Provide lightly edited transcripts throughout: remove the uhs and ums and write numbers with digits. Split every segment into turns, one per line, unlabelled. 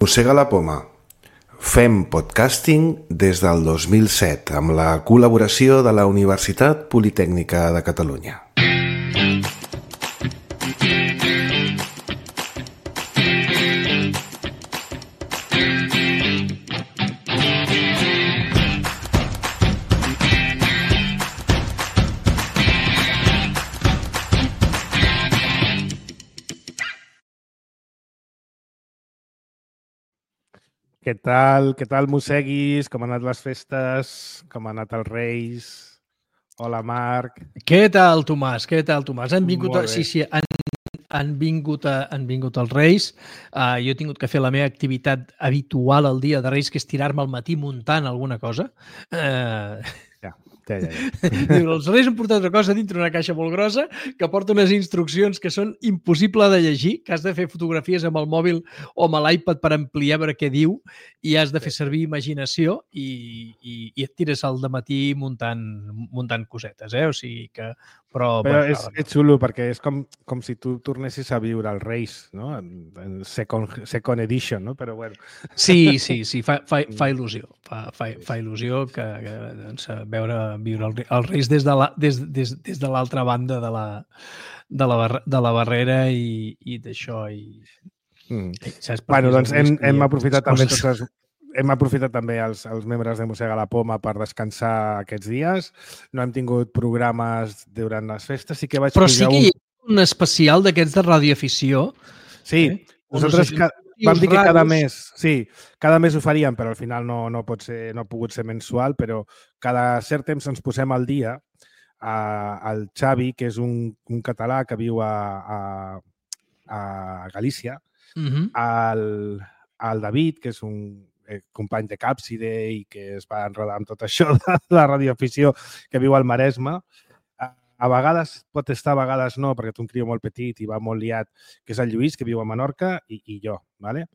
Mossega la poma. Fem podcasting des del 2007 amb la col·laboració de la Universitat Politècnica de Catalunya.
Què tal, mosseguis? Com han anat les festes? Com han anat els Reis? Hola, Marc.
Què tal, Tomàs? Han vingut,
Molt bé.
han vingut els Reis. Jo he tingut que fer la meva activitat habitual el dia de Reis, que és tirar-me al matí muntant alguna cosa.
Ja.
Diu, els Reis han portat una cosa dintre una caixa molt grossa que porta unes instruccions que són impossibles de llegir, que has de fer fotografies amb el mòbil o amb l'iPad per ampliar veure què diu i has de fer servir imaginació i et tires al dematí muntant cosetes, O sigui que...
Però és xulo perquè és com si tu tornessis a viure els Reis, no? En second edition, no? Però bueno.
Sí, fa il·lusió. Fa il·lusió que doncs, viure els Reis des de l'altra banda de la barrera i d'això.
Bueno, doncs hem aprofitat també hem aprofitat també els membres de Mossega la Poma per descansar aquests dies. No hem tingut programes durant les festes. Sí que vaig
Però sí que hi ha un especial d'aquests de radioafició.
Sí, nosaltres vam dir que cada mes ho faríem, però al final no ha pogut ser mensual, però cada cert temps ens posem al dia. El Xavi, que és un català que viu a Galícia, el David, que és un company de Càpside i que es va enredar amb tot això de la radioafició, que viu al Maresme. A vegades pot estar, a vegades no, perquè té un crió molt petit i va molt liat, que és el Lluís, que viu a Menorca, i jo, ¿vale?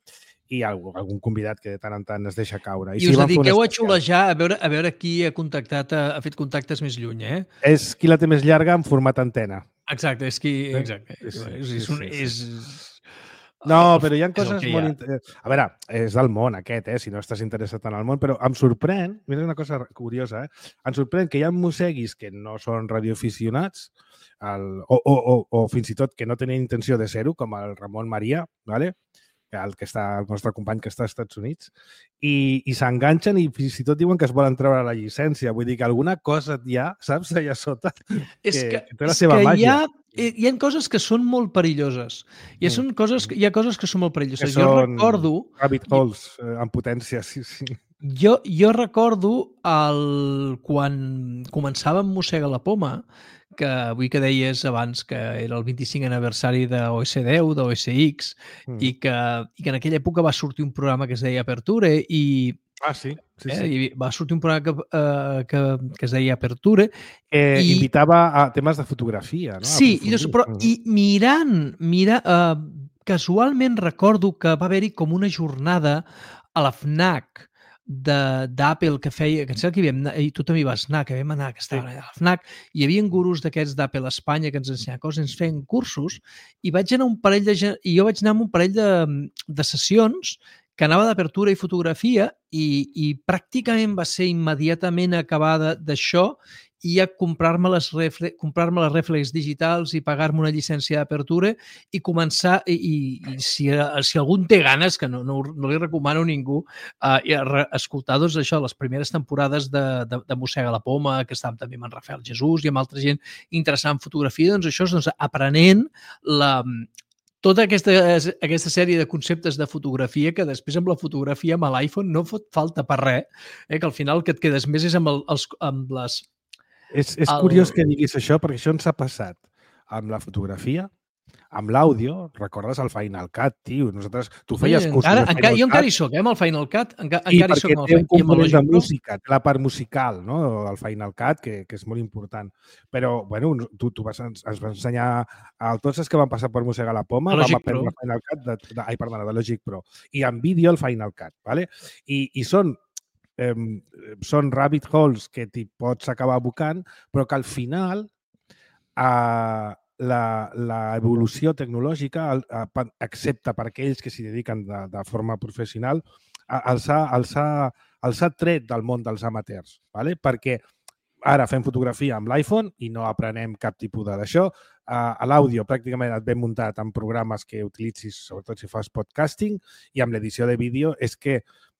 I algun convidat que de tant en tant es deixa caure.
I us dediqueu a xulejar, a veure qui ha fet contactes més lluny,
És qui la té més llarga en format antena.
Exacte, és qui... Exacte.
No, però hi ha coses molt interessants. A veure, és del món aquest, si no estàs interessat en el món, però em sorprèn, mira una cosa curiosa, em sorprèn que hi ha mosseguis que no són radioaficionats o fins i tot que no tenen intenció de ser-ho, com el Ramon Maria, ¿vale? El nostre company que està als Estats Units, i s'enganxen i fins i tot diuen que es volen treure la llicència. Vull dir que alguna cosa hi ha, saps, allà sota, que té la seva màgia.
Hi ha coses que són molt perilloses. Hi ha coses que són molt perilloses.
Que són rabbit holes en potència, sí.
Jo recordo quan començava amb Mossega la Poma, que avui que deies abans que era el 25 aniversari d'OS10, d'OSX, i que en aquella època va sortir un programa que es deia Aperture i...
Sí.
I va sortir un programa que es deia Aperture.
Invitava a temes de fotografia, no?
Sí, i mirant, casualment recordo que va haver-hi com una jornada a la FNAC d'Apple que feia, que em sembla que hi vam anar, i tu també hi vas anar, que vam anar, que estaven allà a la FNAC, i hi havia gurus d'aquests d'Apple a Espanya que ens ensenyaven coses, ens feien cursos, i jo vaig anar amb un parell de sessions que anava d'apertura i fotografia i pràcticament va ser immediatament acabar d'això i a comprar-me les reflex digitals i pagar-me una llicència d'apertura i començar, i si algú té ganes, que no li recomano a ningú, escoltar doncs això, les primeres temporades de Mossega la Poma, que estàvem també amb en Rafael Jesús i amb altra gent interessant en fotografia, doncs això és aprenent tota aquesta sèrie de conceptes de fotografia que després amb la fotografia amb l'iPhone no fot falta per res, que al final el que et quedes més és amb les...
És curiós que diguis això, perquè això ens ha passat amb la fotografia, amb l'àudio. Recordes el Final Cut, tio? Tu feies cursos de Final Cut.
Jo encara hi soc, amb el Final Cut.
I perquè té un component de música, té la part musical, no?, del Final Cut, que és molt important. Però, bueno, tu ens vas ensenyar a tots els que van passar per Mossega la Poma, vam aprendre el Final Cut de Logic Pro. I en vídeo el Final Cut, ¿vale? I són rabbit holes que t'hi pots acabar abocant, però que al final l'evolució tecnològica, excepte per aquells que s'hi dediquen de forma professional, els ha tret del món dels amateurs, ¿vale? Perquè ara fem fotografia amb l'iPhone i no aprenem cap tipus d'això. L'àudio pràcticament et ve muntat en programes que utilitzis, sobretot si fas podcasting, i amb l'edició de vídeo és que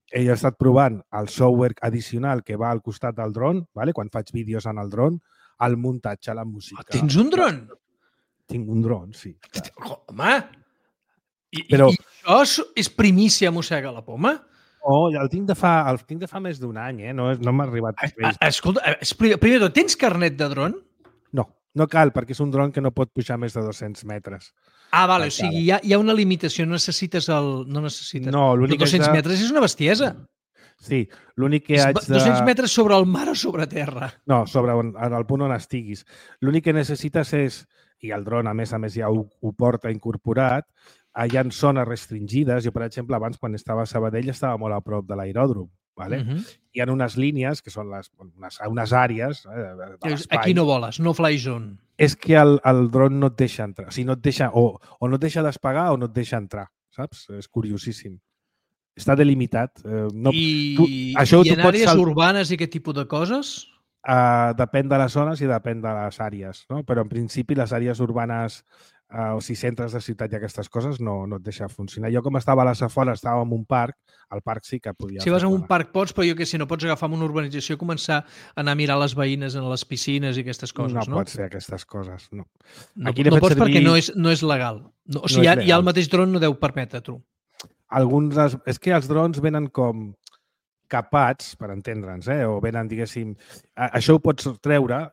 ell ha estat provant el software addicional que va al costat del dron, ¿vale? Quan faig vídeos en el dron, el muntatge, la música.
Tens un dron?
Tinc un dron, sí.
Home! I això és primícia mossega la poma?
Oh, el tinc de fa més d'un any, no m'ha arribat.
Escolta, primer de tot, tens carnet de dron?
No cal, perquè és un dron que no pot pujar més de 200 metres.
Vale, o sigui, hi ha una limitació, no necessites
No, l'únic
200 metres és una bestiesa.
Sí, l'únic que haig de...
200 metres sobre el mar o sobre terra?
No, sobre el punt on estiguis. L'únic que necessites és, i el dron a més ja ho porta incorporat, hi ha zones restringides. Jo, per exemple, abans, quan estava a Sabadell, estava molt a prop de l'aeròdrom. ¿Vale? Hi ha unes línies que són unes àrees de l'espai.
Aquí no voles, no fly zone.
És que el dron no et deixa entrar. O sigui, no et deixa, o no et deixa despegar o no et deixa entrar, saps? És curiosíssim. Està delimitat.
I en àrees urbanes i aquest tipus de coses?
Depèn de les zones i depèn de les àrees, no? Però en principi les àrees urbanes o si centres de ciutat i aquestes coses no et deixa funcionar. Jo com estava a les afores, estava en un parc, al parc sí que podia...
Si vas a un parc pots, però jo que si no pots agafar una urbanització i començar a anar a mirar les veïnes en les piscines i aquestes coses, no?
No pots fer aquestes coses, no.
No pots perquè no és legal. O sigui, ja el mateix dron no deu permetre, tu.
És que els drons venen com capats, per entendre'ns, o venen, diguéssim... Això ho pots treure,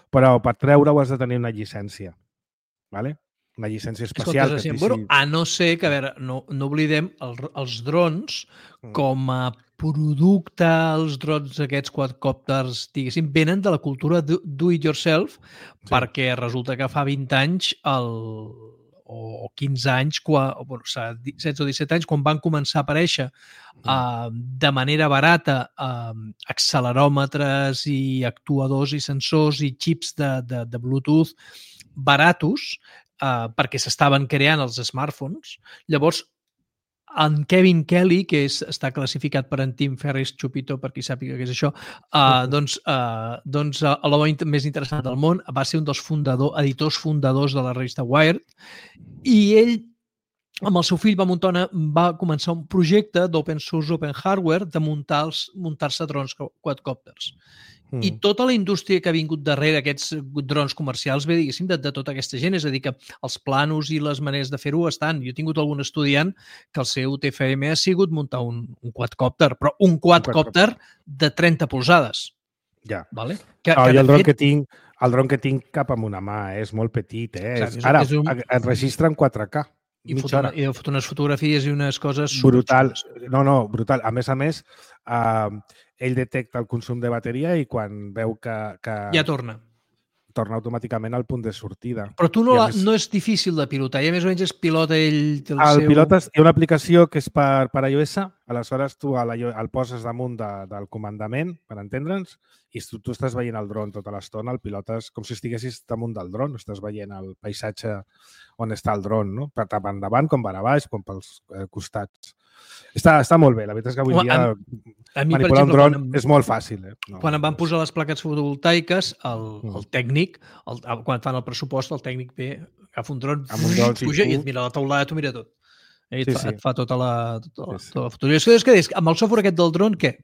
però per treure-ho has de tenir una llicència. ¿Vale? Una llicència especial.
A no ser que, a veure, no oblidem, els drons com a producte, els drons aquests quadcòpters, diguéssim, venen de la cultura do it yourself, perquè resulta que fa 20 anys o 15 anys, 16 o 17 anys, quan van començar a aparèixer de manera barata acceleròmetres i actuadors i sensors i xips de Bluetooth baratos, perquè s'estaven creant els smartphones. Llavors, en Kevin Kelly, que està classificat per en Tim Ferriss-Chupito, per qui sàpiga què és això, doncs l'home més interessant del món, va ser un dels editors fundadors de la revista Wired, i ell, amb el seu fill, va començar un projecte d'open source, open hardware, de muntar-se drons quadcòpters. I tota la indústria que ha vingut darrere aquests drons comercials ve, diguéssim, de tota aquesta gent. És a dir, que els planos i les maneres de fer-ho estan. Jo he tingut algun estudiant que el seu TFM ha sigut muntar un quadcòpter, però un quadcòpter de 30 polzades.
Ja.
Vale?
El dron que tinc cap amb una mà, és molt petit. Ara, es registra en 4K.
I fot unes fotografies i unes coses...
Brutal. No, brutal. A més, ell detecta el consum de bateria i quan veu que...
Ja torna
automàticament al punt de sortida.
Però tu no és difícil de pilotar, ja més o menys es pilota ell...
Hi ha una aplicació que és per iOS, aleshores tu el poses damunt del comandament, per entendre'ns, i tu estàs veient el dron tota l'estona, el pilotes com si estiguessis damunt del dron, estàs veient el paisatge on està el dron, no? Tant endavant com per a baix, com pels costats. Està molt bé, la veritat és que avui dia manipular un dron és molt fàcil.
Quan em van posar les plaques fotovoltaiques, el tècnic, quan fan el pressupost, el tècnic ve, agafa un dron, puja i et mira la taulada, t'ho mira tot. Et fa tota la fotografia. Amb el software aquest del dron, què?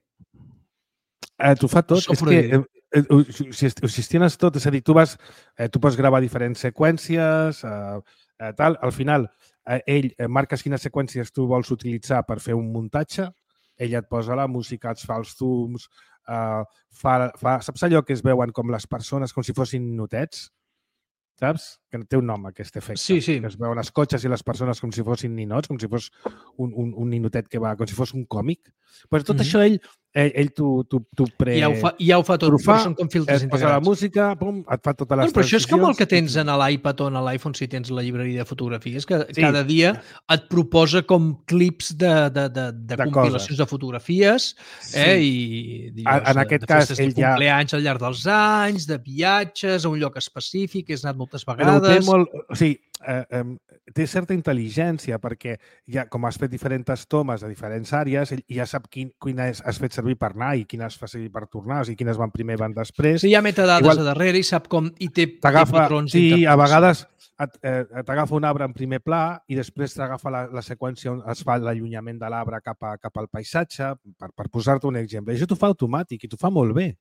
T'ho fa tot. És que ho gestiones tot. És a dir, tu pots gravar diferents seqüències, tal. Al final, ell marques quines seqüències tu vols utilitzar per fer un muntatge, ell et posa la música, et fa els zooms, saps allò que es veuen com les persones, com si fossin notets? Saps? Que té un nom, aquest efecte.
Sí.
Que es veuen els cotxes i les persones com si fossin ninots, com si fos un ninotet que va, com si fos un còmic. Però tot això ell ell t'ho pre...
Ja ho fa tot, però són com filtres integrats.
Et posa la música, pum, et fa totes les
però això és com el que tens
transicions.
en l'iPad o en l'iPhone si tens la llibreria de fotografies, que cada dia et proposa com clips de compilacions de fotografies i
en aquest cas,
ell ja... cumpleanys al llarg dels anys, de viatges a un lloc específic, has anat moltes vegades...
Però té molt... O sigui, té certa intel·ligència perquè ja, com has fet diferents tomes a diferents àrees, ell ja sap quines has fet servir per anar i quines fa servir per tornar, o sigui, quines van primer i van després.
Sí, hi ha metadades a darrere i sap com... I té patrons.
Sí, a vegades t'agafa un arbre en primer pla i després t'agafa la seqüència on es fa l'allunyament de l'arbre cap al paisatge, per posar-te un exemple. I això t'ho fa automàtic i t'ho fa molt bé.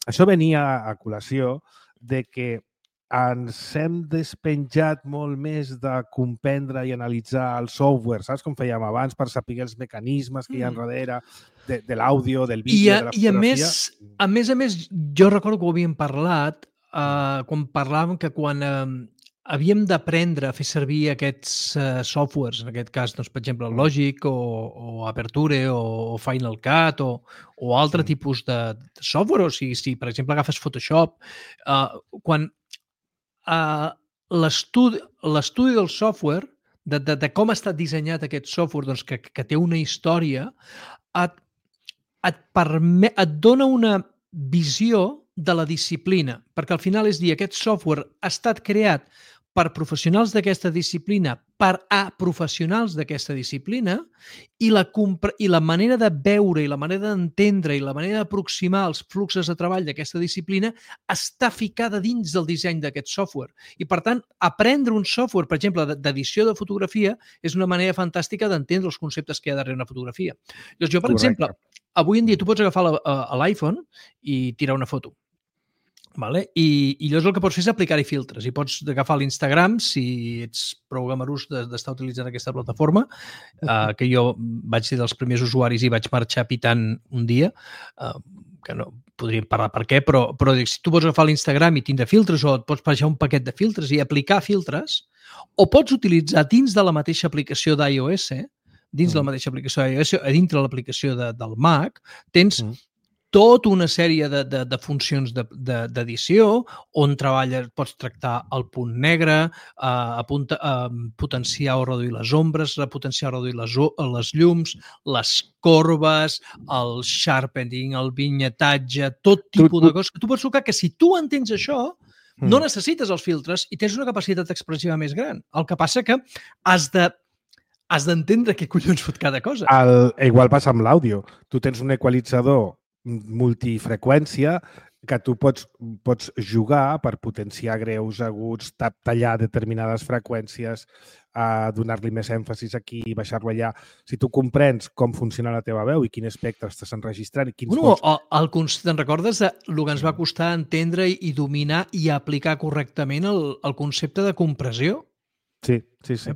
Això venia a col·lació de que ens hem despenjat molt més de comprendre i analitzar el software, saps com fèiem abans, per saber els mecanismes que hi ha darrere de l'àudio, del vídeo, de la fotografia.
I a més, jo recordo que ho havíem parlat quan parlàvem que quan havíem d'aprendre a fer servir aquests softwares, en aquest cas, doncs, per exemple, Logic o Aperture o Final Cut o altre tipus de software, o sigui, si per exemple agafes Photoshop, quan l'estudi del software, de com ha estat dissenyat aquest software, doncs, que té una història, et dona una visió de la disciplina, perquè al final és dir, aquest software ha estat creat per professionals d'aquesta disciplina, per a professionals d'aquesta disciplina, i la manera de veure, i la manera d'entendre, i la manera d'aproximar els fluxos de treball d'aquesta disciplina està ficada dins del disseny d'aquest software. I, per tant, aprendre un software, per exemple, d'edició de fotografia, és una manera fantàstica d'entendre els conceptes que hi ha darrere una fotografia. Llavors, jo, per exemple, avui en dia tu pots agafar l'iPhone i tirar una foto. Vale? I llavors el que pots fer és aplicar-hi filtres i pots agafar l'Instagram si ets prou gamarús d'estar utilitzant aquesta plataforma, que jo vaig ser dels primers usuaris i vaig marxar pitant un dia, que no podríem parlar per què, però si tu pots agafar l'Instagram i tindre filtres o et pots baixar un paquet de filtres i aplicar filtres, o pots utilitzar dins de la mateixa aplicació d'iOS, dins de la mateixa aplicació d'iOS, a dintre l'applicació del Mac, tens tota una sèrie de funcions d'edició on pots tractar el punt negre, potenciar o reduir les ombres, potenciar o reduir les llums, les corbes, el sharpening, el vinyetatge, tot tipus de coses que tu pots tocar, que si tu entens això, no necessites els filtres i tens una capacitat expressiva més gran. El que passa que has d'entendre què collons fot cada cosa.
Igual passa amb l'àudio. Tu tens un equalitzador multifreqüència que tu pots jugar per potenciar greus, aguts, tallar determinades freqüències, donar-li més èmfasis aquí i baixar-lo allà. Si tu comprens com funciona la teva veu i quin espectre estàs enregistrant...
Te'n recordes del que ens va costar entendre i dominar i aplicar correctament el concepte de compressió?
Sí.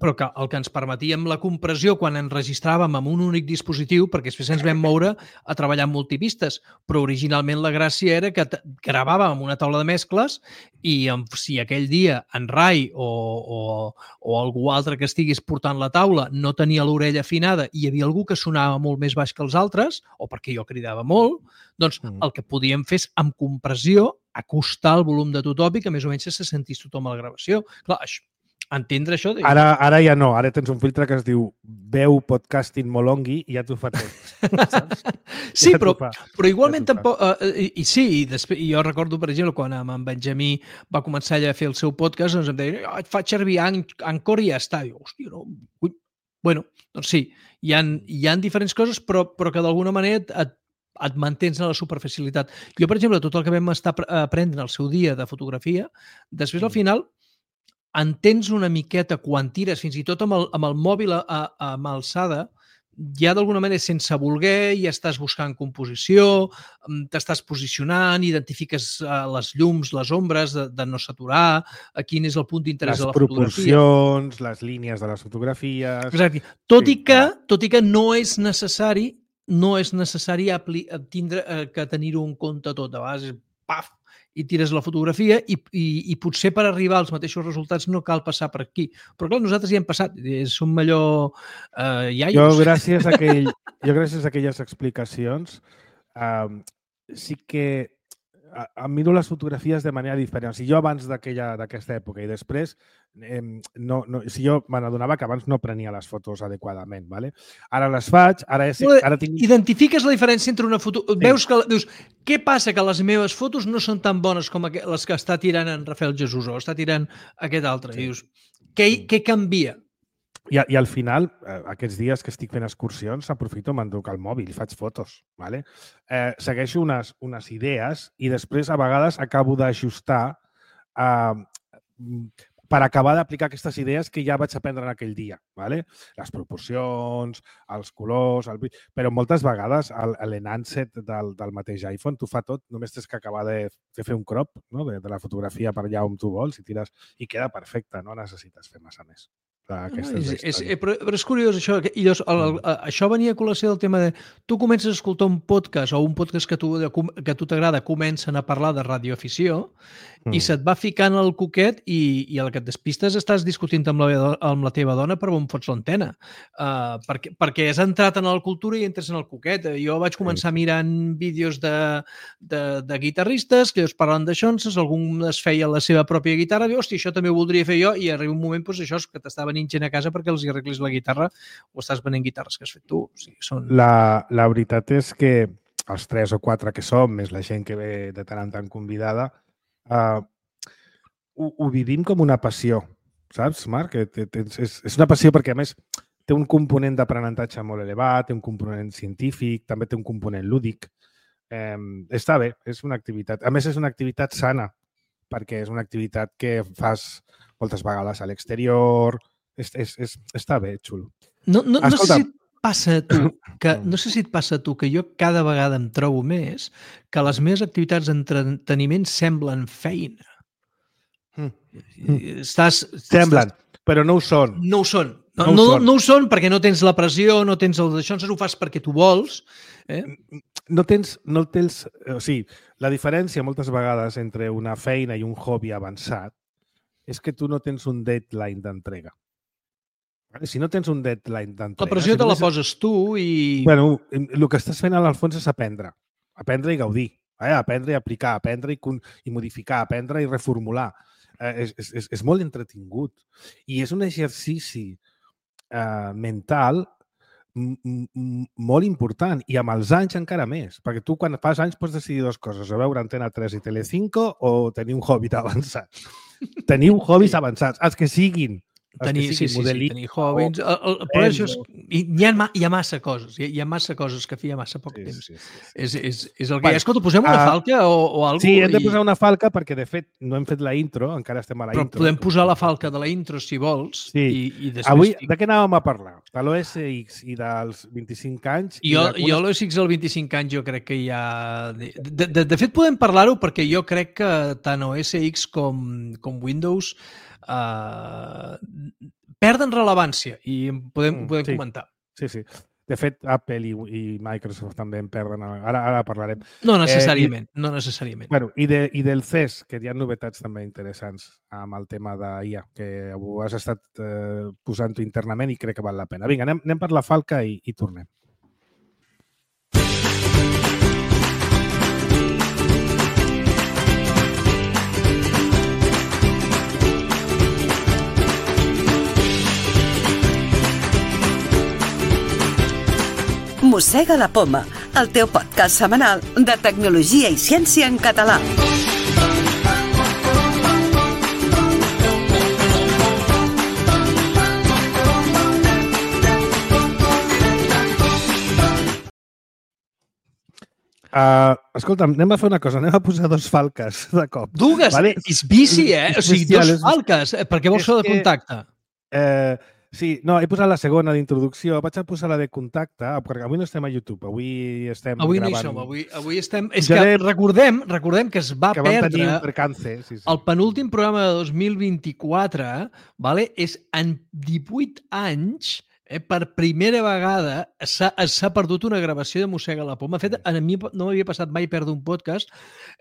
Però que el que ens permetia amb la compressió quan enregistràvem amb un únic dispositiu, perquè després ens vam moure a treballar amb multipistes, però originalment la gràcia era que gravàvem amb una taula de mescles i si aquell dia en Rai o algú altre que estigués portant la taula no tenia l'orella afinada i hi havia algú que sonava molt més baix que els altres, o perquè jo cridava molt, doncs el que podíem fer és, amb compressió, acostar el volum de tothom i que més o menys se sentís tothom a la gravació. Clar, entendre això...
Ara ja no, ara tens un filtre que es diu veu podcasting molongui i ja t'ho fa tot.
Sí, però igualment tampoc... I sí, jo recordo, per exemple, quan amb en Benjamí va començar a fer el seu podcast, doncs em deia, et faig servir Anchor i ja està. I jo, hòstia, no... Bueno, doncs sí, hi ha diferents coses, però que d'alguna manera et mantens en la superficialitat. Jo, per exemple, tot el que vam estar aprenent el seu dia de fotografia, després al final entens una miqueta quan tires, fins i tot amb el mòbil amb alçada, ja d'alguna manera, sense voler, ja estàs buscant composició, t'estàs posicionant, identifiques les llums, les ombres, de no saturar, quin és el punt d'interès de la fotografia.
Les proporcions, les línies de les fotografies...
Exacte. Tot i que no és necessari tindre que tenir-ho en compte tot. A vegades, paf, i tires la fotografia i potser per arribar als mateixos resultats no cal passar per aquí. Però clar, nosaltres ja hem passat, som allò iaios.
Jo, gràcies a aquelles explicacions, sí que em miro les fotografies de manera diferent. O sigui, jo abans d'aquesta època i després, jo me n'adonava que abans no prenia les fotos adequadament. ¿vale? Ara les faig, ara tinc...
Identifiques la diferència entre una foto... Sí. Dius, què passa? Que les meves fotos no són tan bones com les que està tirant en Rafael Jesús o està tirant aquest altre. Sí. I dius, què canvia?
I al final, aquests dies que estic fent excursions, aprofito, m'enduc el mòbil i faig fotos. ¿vale? Segueixo unes idees i després, a vegades, acabo d'ajustar per acabar d'aplicar aquestes idees que ja vaig aprendre en aquell dia. ¿vale? Les proporcions, els colors... Però moltes vegades l'enhanced del mateix iPhone t'ho fa tot, només tens que acabar de fer un crop, no? de la fotografia per allà on tu vols i tires i queda perfecte, no necessites fer massa més.
Però és curiós això. Això venia a col·lació del tema de tu comences a escoltar un podcast o un podcast que a tu t'agrada, comencen a parlar de radioafició i se't va ficant el coquet i a la que et despistes estàs discutint amb la teva dona per on fots l'antena. Perquè has entrat en la cultura i entres en el coquet. Jo vaig començar mirant vídeos de guitarristes que ells parlen de xonses, algú es feia la seva pròpia guitarra, i hòstia, això també ho voldria fer jo, i arriba un moment, doncs, això és que t'està venint gent a casa perquè els hi arreglis la guitarra o estàs venent guitarres que has fet tu. O sigui,
la veritat és que els 3 o 4 que som, més la gent que ve de tant en tant convidada, ho vivim com una passió, saps, Marc? És una passió perquè, a més, té un component d'aprenentatge molt elevat, té un component científic, també té un component lúdic. Està bé, és una activitat. A més, és una activitat sana, perquè és una activitat que fas moltes vegades a l'exterior. Està bé, xulo.
No sé si et passa a tu que jo cada vegada em trobo més que les meves activitats d'entreteniment semblen feina.
Semblen, però no ho són.
No ho són. No ho són perquè no tens la pressió, no tens el d'això, ho fas perquè tu vols.
No tens... O sigui, la diferència moltes vegades entre una feina i un hobby avançat és que tu no tens un deadline d'entrega. Si no tens un deadline d'entrega...
La pressió te la poses tu i...
Bueno, el que estàs fent al fons és aprendre. Aprendre i gaudir. Aprendre i aplicar, aprendre i modificar, aprendre i reformular. És molt entretingut. I és un exercici mental molt important i amb els anys encara més, perquè tu quan fas anys pots decidir dues coses, o veure Antena 3 i Telecinco o tenir un hobby avançat. Teniu hobbies avançats, els que siguin.
Tenir hobbies. Però això hi ha massa coses. Hi ha massa coses que feia massa poc temps. És el que hi ha. Escolta, posem una falca o alguna cosa?
Sí, hem de posar una falca perquè, de fet, no hem fet la intro, encara estem a la intro.
Però podem posar la falca de la intro, si vols.
Sí. Avui, de què anàvem a parlar? De l'OSX i dels 25 anys?
Jo l'OSX dels 25 anys jo crec que ja... De fet, podem parlar-ho perquè jo crec que tant OSX com Windows perden rellevància i podem comentar.
Sí. De fet, Apple i Microsoft també en perden. Ara parlarem.
No necessàriament.
Bueno, i del CES, que hi ha novetats també interessants amb el tema d'IA, que ho has estat posant-ho internament i crec que val la pena. Vinga, anem per la falca i tornem.
Mossega la poma, el teu podcast setmanal de tecnologia i ciència en català.
Escolta'm, anem a fer una cosa, anem a posar 2 falques de cop.
Dues? Vale? És bici, O sigui, 2 falques. Per què vols fer de contacte?
Sí, no, he posat la segona d'introducció. Vaig a posar la de contacte, perquè avui no estem a YouTube, avui estem gravant.
Avui no hi som, avui estem... És que recordem que es va perdre el penúltim programa de 2024, és en 18 anys Per primera vegada s'ha perdut una gravació de Mossega la Poma. De fet, a mi no m'havia passat mai perdre un podcast.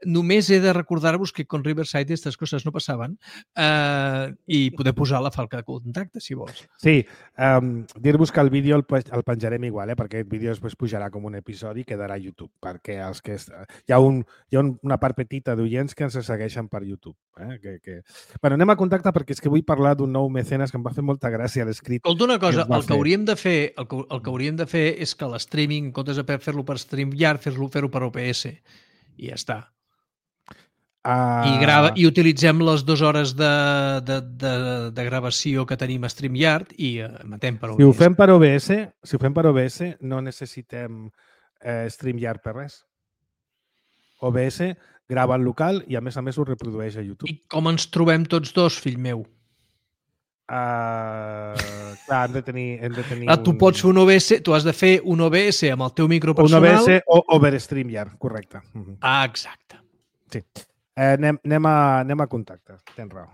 Només he de recordar-vos que con Riverside aquestes coses no passaven i poder posar la falca de contacte, si vols.
Sí, dir-vos que el vídeo el penjarem igual, perquè aquest vídeo després pujarà com un episodi i quedarà a YouTube, perquè els que hi ha una part petita d'oients que ens segueixen per YouTube. Bueno, anem a contacte perquè és que vull parlar d'un nou mecenes que em va fer molta gràcia l'escrit.
Escolta una cosa, el que hauríem de fer és que l'streaming, en comptes de fer-lo per StreamYard, fer-ho per OBS i ja està. I utilitzem les 2 hores de gravació que tenim a StreamYard i emetem per OBS.
Si ho fem per OBS, no necessitem StreamYard per res. OBS grava en local i a més ho reprodueix a YouTube.
I com ens trobem tots dos, fill meu?
Clar, hem de tenir
tu pots fer un OBS, tu has de fer un OBS amb el teu micro personal.
Un OBS o over StreamYard, correcte.
Exacte.
Sí. Anem a contacte, tens raó.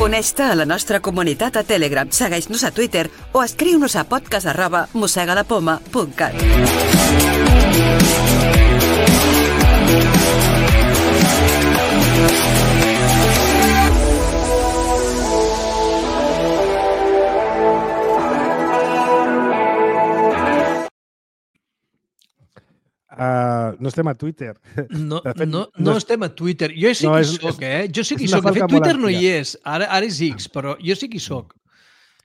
Uneix-te a la nostra comunitat a Telegram, segueix-nos a Twitter o escriu-nos a podcast@mossegalapoma.cat.
No estem a Twitter.
No estem a Twitter. Jo sí que hi soc, Jo sí que hi soc. De fet, Twitter no hi és. Ara és X, però jo sí que hi soc.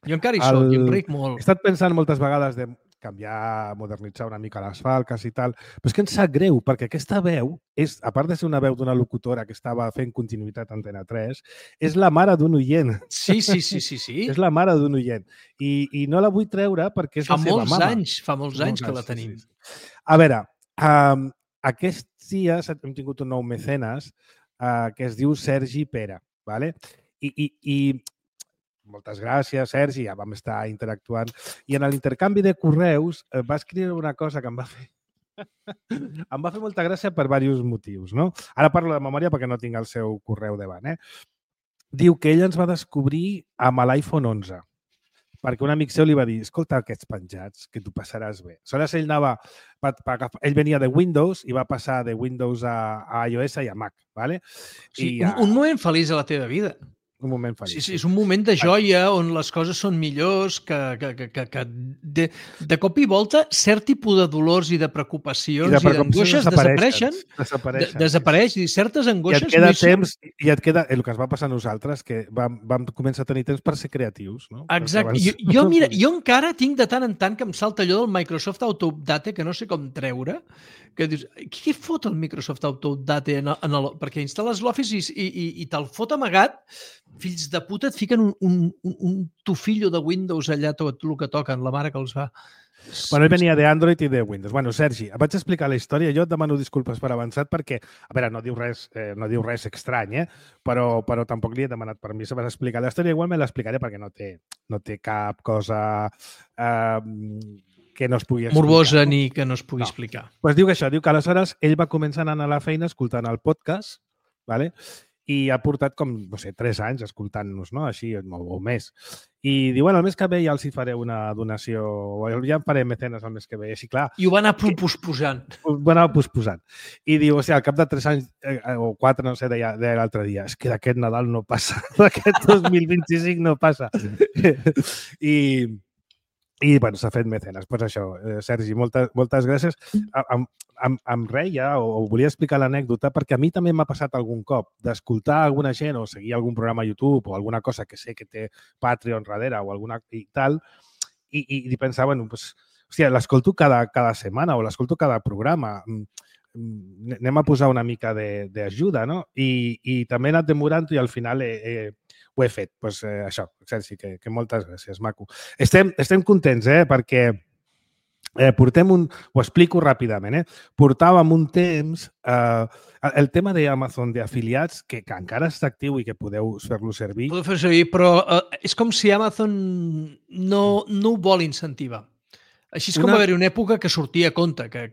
Jo encara hi soc i em ric molt.
He estat pensant moltes vegades de canviar, modernitzar una mica les falques i tal, però és que em sap greu, perquè aquesta veu, a part de ser una veu d'una locutora que estava fent continuïtat a Antena 3, és la mare d'un oient.
Sí.
És la mare d'un oient. I no la vull treure perquè és la seva mama.
Fa molts anys que la tenim.
A veure, aquests dies hem tingut un nou mecenes que es diu Sergi Pera, ¿vale? I moltes gràcies, Sergi, ja vam estar interactuant. I en l'intercanvi de correus va escriure una cosa que em va fer molta gràcia per diversos motius, no? Ara parlo de memòria perquè no tinc el seu correu davant, Diu que ell ens va descobrir amb l'iPhone 11, perquè un amic seu li va dir, escolta aquests penjats, que tu passaràs bé. Aleshores ell venia de Windows i va passar de Windows a iOS i a Mac, ¿vale?
Sí, un moment feliç a la teva vida.
Un moment feliç.
Sí, és un moment de joia on les coses són millors, que de cop i volta cert tipus de dolors i de preocupacions i d'angoixes desapareix i certes angoixes...
I et queda temps, i et queda el que ens va passar a nosaltres, que vam començar a tenir temps per ser creatius, no?
Exacte. Jo encara tinc de tant en tant que em salta allò del Microsoft Auto-Update, que no sé com treure, que dius, què fot el Microsoft Auto-Update perquè instal·les l'Office i te'l fot amagat, fills de puta et fiquen un tufillo de Windows allà tot el que toquen, la mare que els va.
Bueno, ell venia d'Android i de Windows. Bueno, Sergi, et vaig explicar la història. Jo et demano disculpes per avançat perquè, a veure, no diu res estrany, però tampoc li he demanat permís per explicar la història. Igual me l'explicaré perquè no té cap cosa que no es pugui explicar.
Morbosa ni que no es pugui explicar.
Doncs diu que això, diu que aleshores ell va començar a anar a la feina escoltant el podcast, ¿vale? I ha portat com, no sé, 3 anys escoltant-nos, no? Així, o més. I diu, bueno, el mes que ve ja els hi faré una donació, o ja em faré mecenes el mes que ve, així, clar.
I ho va anar posposant.
Ho va anar posposant. I diu, o sigui, al cap de 3 anys, o 4, no sé, deia l'altre dia, és que d'aquest Nadal no passa, d'aquest 2025 no passa. I bueno, s'ha fet mecenes. Doncs això, Sergi, moltes gràcies. Em reia o volia explicar l'anècdota perquè a mi també m'ha passat algun cop d'escoltar alguna gent o seguir algun programa a YouTube o alguna cosa que sé que té Patreon darrere o alguna i tal i pensar, bueno, pues, hòstia, l'escolto cada setmana o l'escolto cada programa. Anem a posar una mica d'ajuda, no? I també he anat demorant-ho i al final ho he fet. Doncs això, Sergi, que moltes gràcies, maco. Estem contents, perquè ho explico ràpidament, portàvem un temps, el tema d'Amazon d'afiliats, que encara està actiu i que podeu fer-lo servir.
Podeu fer servir, però és com si Amazon no ho vol incentivar. Així és com va haver-hi una època que sortia a compte, que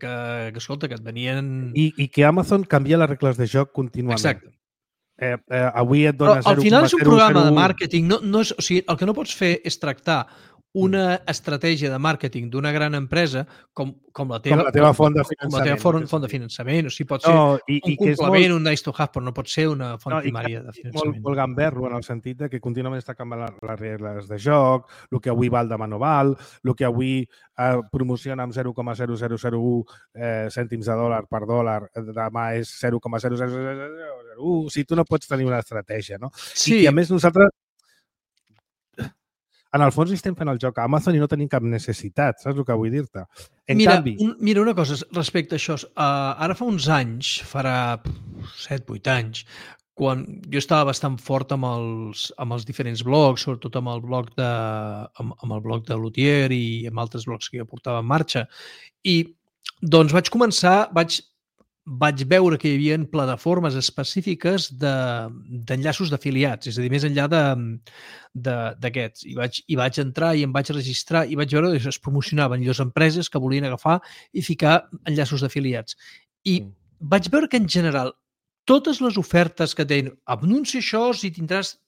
escolta, que et venien...
I que Amazon canvia les regles de joc contínuament.
Exacte.
Avui et dona 0,001...
Al final és un programa de màrqueting. O sigui, el que no pots fer és tractar una estratègia de màrqueting d'una gran empresa com la teva
font de finançament.
Com la teva font de finançament. O sigui, pot ser un complement, un nice to have, però no pot ser una font primària de finançament.
Molt gamberro en el sentit que contínuament està canviant les regles de joc, el que avui val demà no val, el que avui promociona amb 0,0001 cèntims de dòlar per dòlar, demà és 0,00001. O sigui, tu no pots tenir una estratègia, no?
Sí.
I a més nosaltres en el fons estem fent el joc a Amazon i no tenim cap necessitat, saps el que vull dir-te?
Mira, una cosa respecte a això. Ara fa uns anys, farà 7-8 anys, quan jo estava bastant fort amb els diferents blogs, sobretot amb el blog de Lutier i amb altres blogs que jo portava en marxa, i doncs vaig veure que hi havia plataformes específiques d'enllaços d'afiliats, és a dir, més enllà d'aquests. I vaig entrar i em vaig registrar i vaig veure que es promocionaven les empreses que volien agafar i ficar enllaços d'afiliats. I vaig veure que, en general, totes les ofertes que deien anuncia això si tindràs...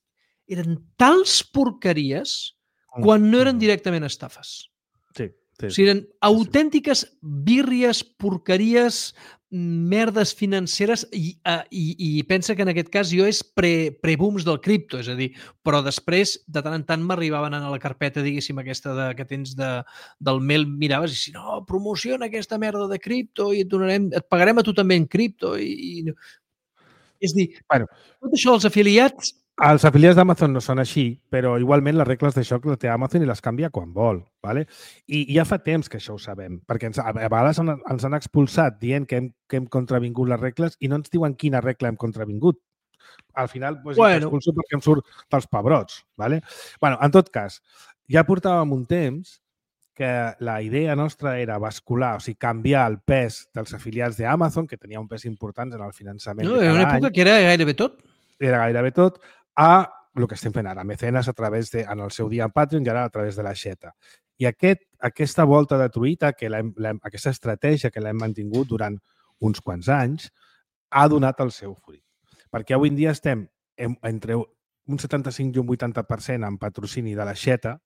eren tals porqueries quan no eren directament estafes.
Sí.
O sigui, eren autèntiques birries, porqueries, merdes financeres i pensa que en aquest cas jo és pre-booms del cripto, és a dir, però després de tant en tant m'arribaven a la carpeta, diguéssim, aquesta que tens del mail, miraves i si no, promociona aquesta merda de cripto i et pagarem a tu també en cripto. És a dir, tot això, els afiliats...
Els afiliats d'Amazon no són així, però igualment les regles de joc les té Amazon i les canvia quan vol. ¿vale? I ja fa temps que això ho sabem, perquè a vegades ens han expulsat dient que hem contravingut les regles i no ens diuen quina regla hem contravingut. Al final, expulso perquè em surt dels pebrots. ¿vale? En tot cas, ja portàvem un temps que la idea nostra era bascular, o sigui, canviar el pes dels afiliats d'Amazon, que tenia un pes important en el finançament de cada any.
Era una època que era gairebé tot.
Era gairebé tot, a el que estem fent ara, mecenes a través en el seu dia en Patreon i ara a través de l'aixeta. I aquesta volta de truita, aquesta estratègia que l'hem mantingut durant uns quants anys, ha donat el seu fruit. Perquè avui en dia estem entre un 75 i un 80% en patrocini de l'aixeta,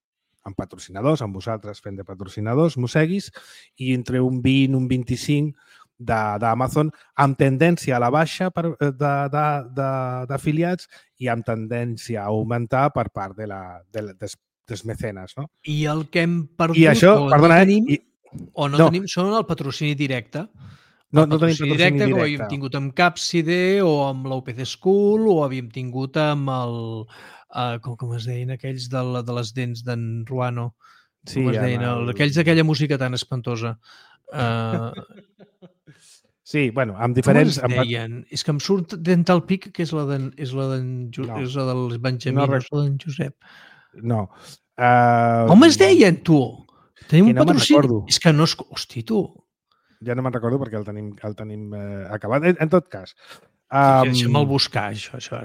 amb patrocinadors, amb vosaltres fent de patrocinadors, Museguis, i entre un 20 i un 25% d'Amazon amb tendència a la baixa d'afiliats i amb tendència a augmentar per part dels mecenes. No?
I el que hem perdut tenim són el patrocini directe.
No tenim patrocini directe.
Com havíem tingut amb Capside o amb l'OPC School o havíem tingut amb el... com es deien aquells de les dents d'en Ruano? Com es deien? Aquells d'aquella música tan espantosa.
Sí, amb diferents...
Com es deien? És que em surt Dental Peak, que és la del Benjamí, no és la d'en Josep.
No.
Com es deien, tu? Tenim un patrocini. És que no és... Hosti, tu.
Ja no me'n recordo perquè el tenim acabat. En tot cas...
Deixa'm-el buscar, això.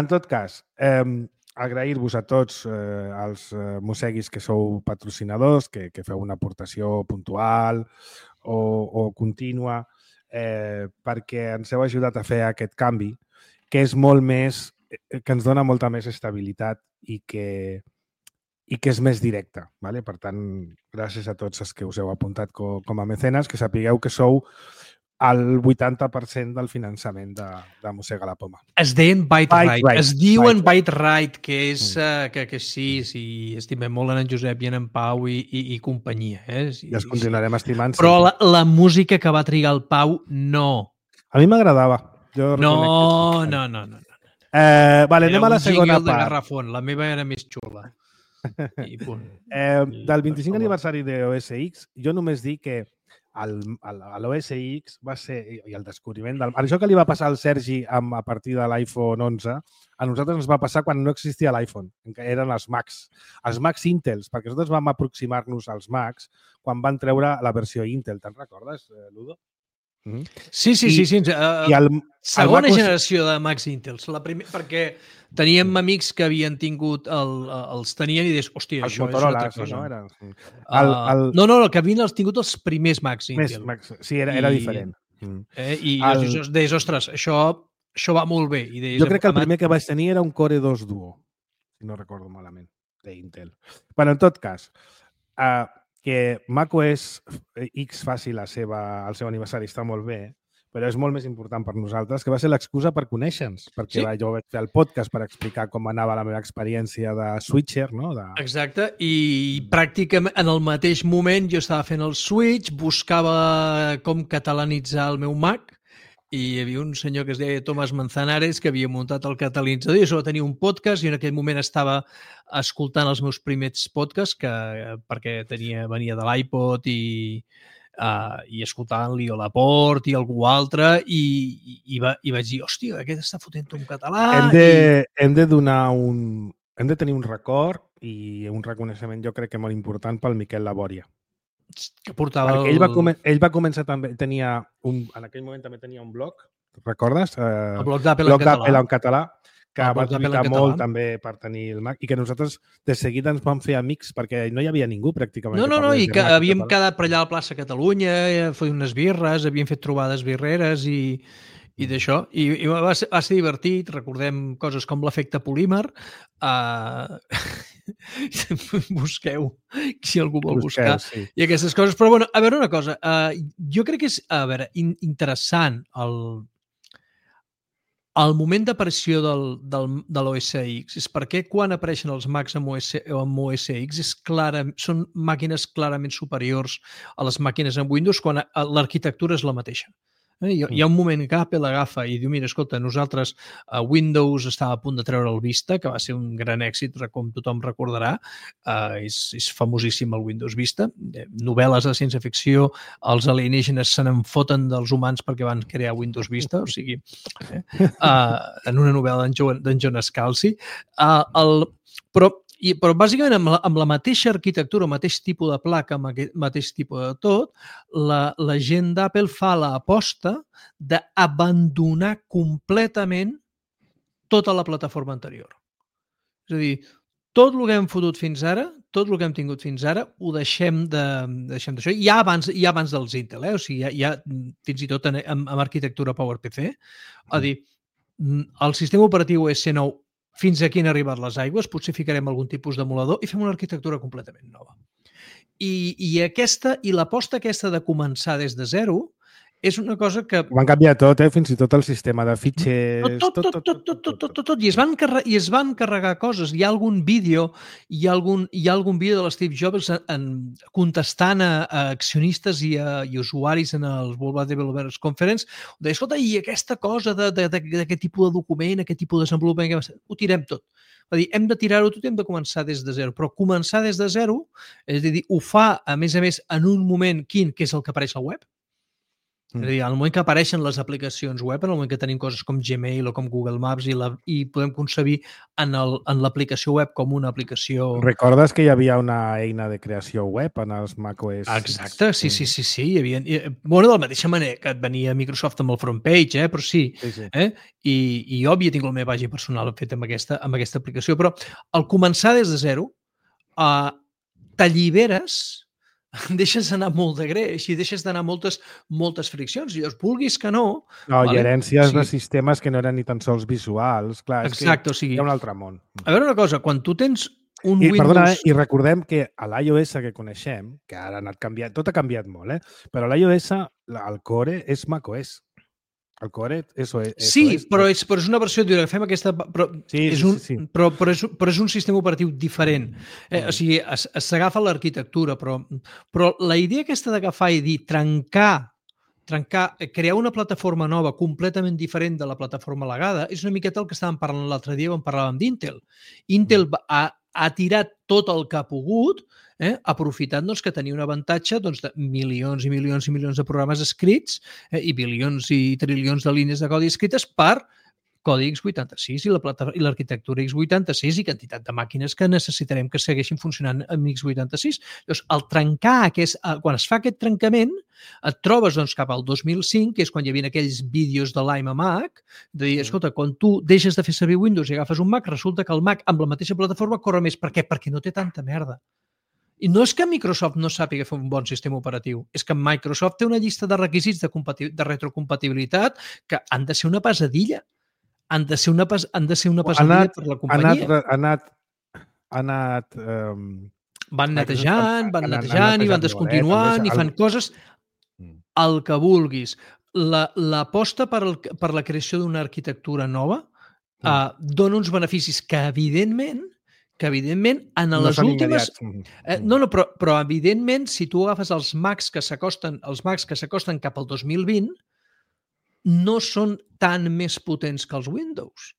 En tot cas, agrair-vos a tots els Museguis que sou patrocinadors, que feu una aportació puntual o contínua, perquè ens heu ajudat a fer aquest canvi, que és molt més, que ens dona molta més estabilitat i que és més directe. ¿vale? Per tant, gràcies a tots els que us heu apuntat com a mecenes, que sapigueu que sou el 80% del finançament de Mossega la Poma.
Es deien Byte Right. Es diuen Byte Right, que és que sí, estimem molt en Josep i en Pau i companyia.
I els continuarem estimant.
Però la música que va trigar el Pau, no.
A mi m'agradava.
No.
Anem a la segona part.
De Garrafón, la meva era més xula. I punt.
Del 25 aniversari de OS X, jo només dic que l'OS X va ser, i el descobriment del... Això que li va passar al Sergi a partir de l'iPhone 11, a nosaltres ens va passar quan no existia l'iPhone, que eren els Macs. Els Macs Intels, perquè nosaltres vam aproximar-nos als Macs quan van treure la versió Intel. Te'n recordes, Ludo?
Sí. Segona generació de Macs Intels. Perquè teníem amics que havien tingut els tenien i deies, hòstia, això és una altra cosa. No, el que havien tingut els primers Macs Intel.
Sí, era diferent.
I jo deies, ostres, això va molt bé.
Jo crec que el primer que vaig tenir era un Core 2 Duo, si no recordo malament, d'Intel. Però en tot cas, que macOS X faci el seu aniversari està molt bé, però és molt més important per nosaltres, que va ser l'excusa per conèixer-nos, perquè jo vaig fer el podcast per explicar com anava la meva experiència de switcher, no?
Exacte, i pràcticament en el mateix moment jo estava fent el switch, buscava com catalanitzar el meu Mac, i hi havia un senyor que es deia Tomàs Manzanares que havia muntat el catalanitzador i això tenia un podcast i en aquell moment estava escoltant els meus primers podcasts perquè venia de l'iPod i escoltant-li a Laporte i algú altre i vaig dir, hòstia, aquest està fotent un català.
Hem de tenir un record i un reconeixement jo crec que molt important pel Miquel Labòria.
Que portava
ell va començar també, en aquell moment també tenia un blog, recordes?
El blog d'Apple
en català, que va lluitar molt també per tenir el Mac i que nosaltres de seguida ens vam fer amics perquè no hi havia ningú pràcticament.
No, i que havíem quedat per allà a la plaça Catalunya, feia unes birres, havíem fet trobades birreres i d'això. I va ser divertit, recordem coses com l'efecte polímer. Busqueu, si algú vol buscar, sí. I aquestes coses. Però, bueno, a veure una cosa. Jo crec que és, interessant el moment d'aparició de l'OS X és perquè quan apareixen els Macs amb OS X són màquines clarament superiors a les màquines amb Windows quan l'arquitectura és la mateixa. Hi ha un moment que Apple agafa i diu, mira, escolta, nosaltres Windows estava a punt de treure el Vista, que va ser un gran èxit, com tothom recordarà. És famosíssim el Windows Vista. Novel·les de ciència-ficció, els alienígenes se n'enfoten dels humans perquè van crear Windows Vista, o sigui, en una novel·la d'en John Scalzi. Però bàsicament amb la mateixa arquitectura, el mateix tipus de placa, amb el mateix tipus de tot, la gent d'Apple fa l'aposta d'abandonar completament tota la plataforma anterior. És a dir, tot el que hem fotut fins ara, tot el que hem tingut fins ara, ho deixem d'això. Ja abans dels Intel, o sigui, ja fins i tot amb arquitectura PowerPC. A dir, el sistema operatiu S9 fins aquí han arribat les aigües, potser ficarem algun tipus d'emulador i fem una arquitectura completament nova. I l'aposta aquesta de començar des de zero és una cosa que...
Van canviar tot, fins i tot el sistema de fitxers...
Tot. I es van carregar coses. Hi ha algun vídeo de l'Steve Jobs contestant a accionistes i usuaris en el World Developers Conference. Deia, escolta, i aquesta cosa d'aquest tipus de document, aquest tipus de desenvolupament, ho tirem tot. Va dir, hem de tirar-ho tot i hem de començar des de zero. Però començar des de zero, és a dir, ho fa, a més, en un moment que és el que apareix al web. És a dir, al moment que apareixen les aplicacions web, en el moment que tenim coses com Gmail o com Google Maps i podem concebir en l'aplicació web com una aplicació...
Recordes que hi havia una eina de creació web en els macOS?
Exacte, sí. Hi havia... Bueno, de la mateixa manera que et venia Microsoft amb el front page, però sí. I jo havia tingut la meva pàgina personal feta amb aquesta aplicació, però al començar des de zero, t'alliberes, deixes d'anar molt de greix i deixes d'anar moltes friccions. I vulguis que no...
I herències de sistemes que no eren ni tan sols visuals. Clar,
exacte, o sigui...
Hi ha un altre món.
A veure una cosa, quan tu tens un Windows...
Perdona, i recordem que a l'iOS que coneixem, que ara ha anat canviant, tot ha canviat molt, però a l'iOS el core és macOS. El core és OS.
Sí, però és una versió de fem aquesta... Però és un sistema operatiu diferent. O sigui, s'agafa l'arquitectura, però la idea aquesta d'agafar i dir crear una plataforma nova completament diferent de la plataforma legada és una miqueta el que estàvem parlant l'altre dia quan parlàvem d'Intel. Intel ha tirat tot el que ha pogut aprofitant que tenia un avantatge de milions i milions i milions de programes escrits i bilions i trilions de línies de codi escrites per codi x86 i l'arquitectura x86 i quantitat de màquines que necessitarem que segueixin funcionant amb x86. Llavors, al trencar, quan es fa aquest trencament, et trobes cap al 2005, que és quan hi havia aquells vídeos de l'iMac, de dir, escolta, quan tu deixes de fer servir Windows i agafes un Mac, resulta que el Mac amb la mateixa plataforma corre més. Per què? Perquè no té tanta merda. I no és que Microsoft no sàpiga fer un bon sistema operatiu, és que Microsoft té una llista de requisits de retrocompatibilitat que han de ser una pesadilla. Han de ser una pesadilla per la companyia. Van netejant i van descontinuant i fan coses el que vulguis. L'aposta per la creació d'una arquitectura nova dona uns beneficis que evidentment en les últimes... Però evidentment, si tu agafes els Macs que s'acosten cap al 2020, no són tan més potents que els Windows.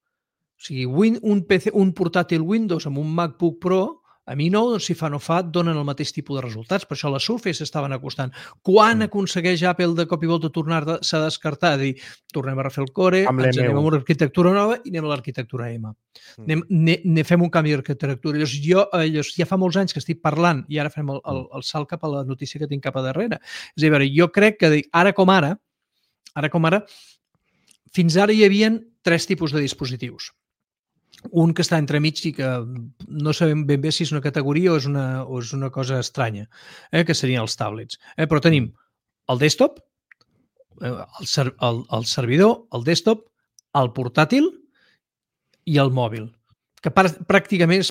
O sigui, un portàtil Windows amb un MacBook Pro, a mi no, si fa no fa, donen el mateix tipus de resultats. Per això les Surface estaven acostant. Quan aconsegueix Apple de cop i volta tornar-se a descartar, dir, tornem a refer el core, ens anem a una arquitectura nova i anem a l'arquitectura M. Fem un canvi d'arquitectura. Llavors, ja fa molts anys que estic parlant i ara fem el salt cap a la notícia que tinc cap a darrere. És a dir, jo crec que ara com ara, fins ara hi havia 3 tipus de dispositius. Un que està entremig i que no sabem ben bé si és una categoria o és una cosa estranya, que serien els tablets. Però tenim el desktop, el servidor, el desktop, el portàtil i el mòbil. Que pràcticament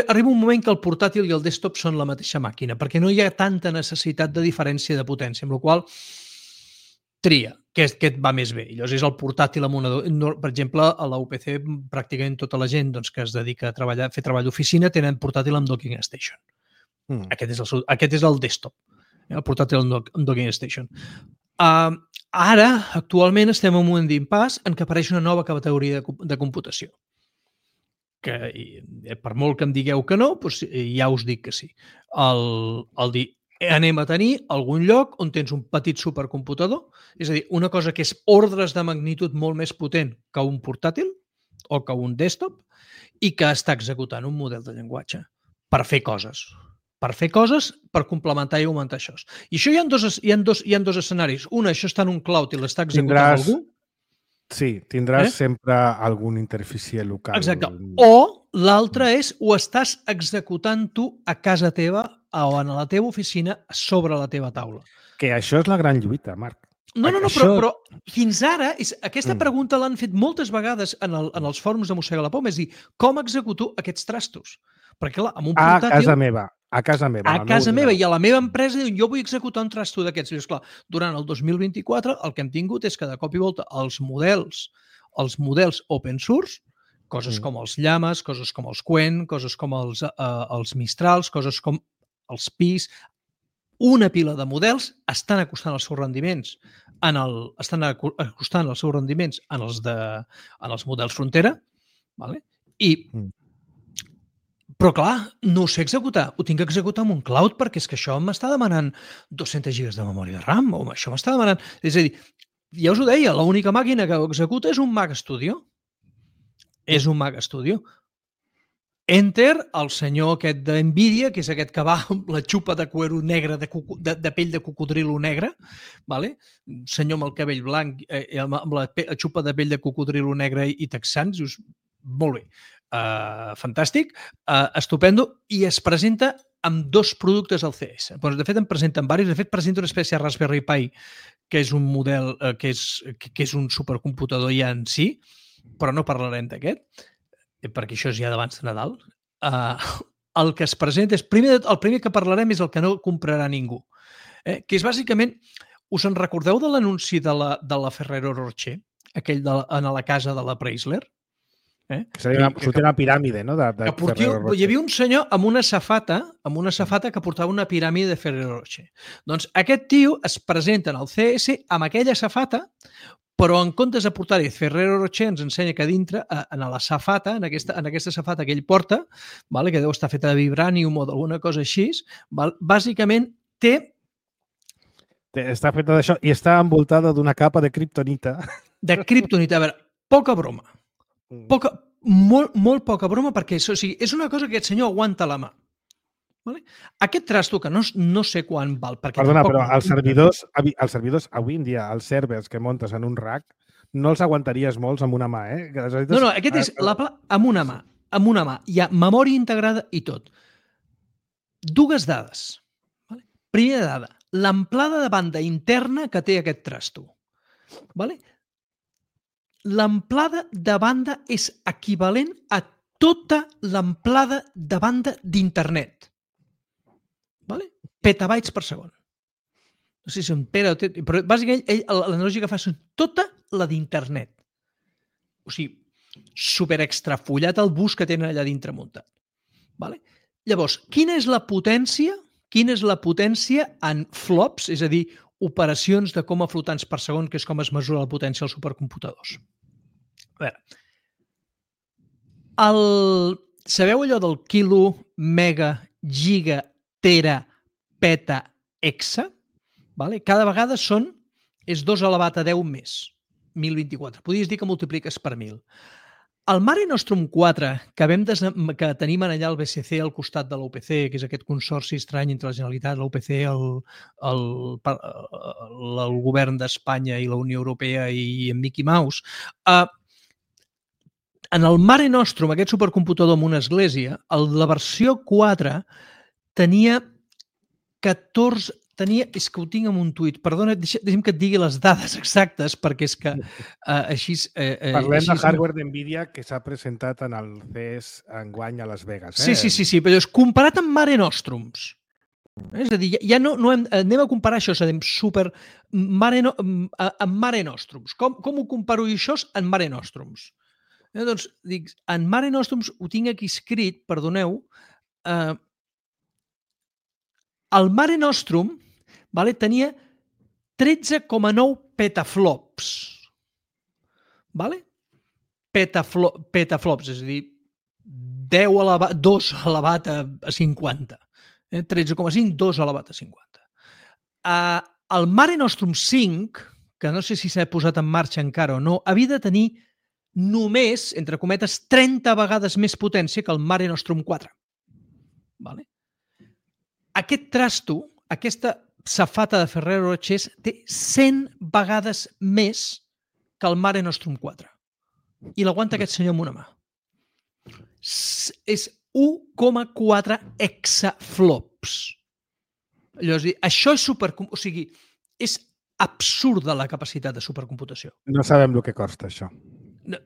arriba un moment que el portàtil i el desktop són la mateixa màquina, perquè no hi ha tanta necessitat de diferència de potència, amb la qual tria, que et va més bé. I llavors és el portàtil amb una... Per exemple, a la UPC pràcticament tota la gent que es dedica a fer treball d'oficina tenen portàtil amb docking station. Aquest és el desktop, el portàtil amb docking station. Ara, actualment, estem en un moment d'impàs en què apareix una nova categoria de computació. Que per molt que em digueu que no, doncs ja us dic que sí. El dir, anem a tenir algun lloc on tens un petit supercomputador, és a dir, una cosa que és ordres de magnitud molt més potent que un portàtil o que un desktop i que està executant un model de llenguatge per fer coses. Per complementar i augmentar això. I això hi ha dos escenaris. Un, això està en un cloud i l'està executant algú.
Sí, tindràs sempre algun interfície local.
Exacte. O l'altre és, ho estàs executant tu a casa teva o a la teva oficina sobre la teva taula.
Que això és la gran lluita, Marc.
No, però fins ara, aquesta pregunta l'han fet moltes vegades en els fòrums de Mossega la Poma, és dir, com executo aquests trastos? Perquè, clar, amb un portàtil...
A casa meva.
I a la meva empresa diuen, jo vull executar un trasto d'aquests. I, esclar, durant el 2024 el que hem tingut és que de cop i volta els models open source, coses com els Llames, coses com els Qwen, coses com els Mistrals, coses com els PIs, una pila de models estan acostant els seus rendiments en els models frontera, vale? Però, clar, no ho sé executar. Ho tinc que executar en un cloud perquè és que això m'està demanant 200 gigas de memòria de RAM o això m'està demanant... És a dir, ja us ho deia, l'única màquina que ho executa és un Mac Studio. És un Mac Studio. Enter, el senyor aquest d'NVIDIA, que és aquest que va amb la xupa de cuero negre, de pell de cocodrilo negre, vale? Senyor amb el cabell blanc, amb la xupa de pell de cocodrilo negre i texans, dius, molt bé. Fantàstic, estupendo, i es presenta amb 2 productes al CS. De fet, en presenten diversos. De fet, presenta una espècie de Raspberry Pi, que és un model, que és un supercomputador ja en si, però no parlarem d'aquest, perquè això és ja d'abans de Nadal. El que es presenta és... El primer que parlarem és el que no comprarà ningú, que és bàsicament... Us en recordeu de l'anunci de la Ferrero Rocher, aquell a la casa de la Chrysler?
Sortia una piràmide, no?
Hi havia un senyor amb una safata que portava una piràmide de Ferrero Rocher. Doncs aquest tio es presenta en el CS amb aquella safata però en comptes de portar-hi Ferrero Rocher ens ensenya que dintre, en la safata, en aquesta safata que ell porta, vale, que deu estar feta de vibranium o d'alguna cosa així, bàsicament
està feta d'això i està envoltada d'una capa de kriptonita.
De kriptonita. A veure, poca broma. Molt poca broma, perquè és una cosa que aquest senyor aguanta a la mà. Vale? Aquest trasto, que no sé quan val...
Perdona, però els servidors, avui en dia, els servers que muntes en un rack, no els aguantaries molts amb una mà, eh?
No, aquest és amb una mà. Hi ha memòria integrada i tot. Dues dades. Vale? Primera dada, l'amplada de banda interna que té aquest trasto. Vale? L'amplada de banda és equivalent a tota l'amplada de banda d'internet. Vale? Petabytes per segon. No sé si un tera o però bàsicament l'analogia que fa és tota la d'internet. O sigui, super extrafollat el bus que tenen allà dintre muntat. Vale? Llavors, quina és la potència? Quina és la potència en flops, és a dir, operacions de coma flotants per segon, que és com es mesura la potència als supercomputadors? A veure, sabeu allò del quilo, mega, giga, tera, peta, hexa? Vale? Cada vegada és 2 elevat a 10 més, 1024. Podries dir que multipliques per 1000. El Mare Nostrum 4, que tenim allà al BCC al costat de l'UPC, que és aquest consorci estrany entre la Generalitat, l'UPC, el govern d'Espanya i la Unió Europea i en Mickey Mouse, en el Mare Nostrum, aquest supercomputador amb una església, la versió 4 tenia 14... és que ho tinc en un tuit. Perdona, deixa'm que et digui les dades exactes, perquè és que així...
Parlem de hardware d'NVIDIA que s'ha presentat en el CES enguany a Las Vegas.
Sí, però és comparat amb Mare Nostrums. És a dir, ja no anem a comparar això, és a dir, amb Mare Nostrums. Com ho comparo això en Mare Nostrums? Doncs, dic, en Mare Nostrums ho tinc aquí escrit, perdoneu, el Mare Nostrum tenia 13,9 petaflops. Petaflops, és a dir, 2 elevat a 50. 13,5, 2 elevat a 50. El Mare Nostrum 5, que no sé si s'ha posat en marxa encara o no, havia de tenir només, entre cometes, 30 vegades més potència que el Mare Nostrum 4. Vale? Aquest trasto, aquesta safata de Ferrero Rocher, té 100 vegades més que el Mare Nostrum 4. I l'aguanta aquest senyor amb una mà. És 1,4 hexaflops. Llavors, això és o sigui, és absurda la capacitat de supercomputació.
No sabem el que costa, això.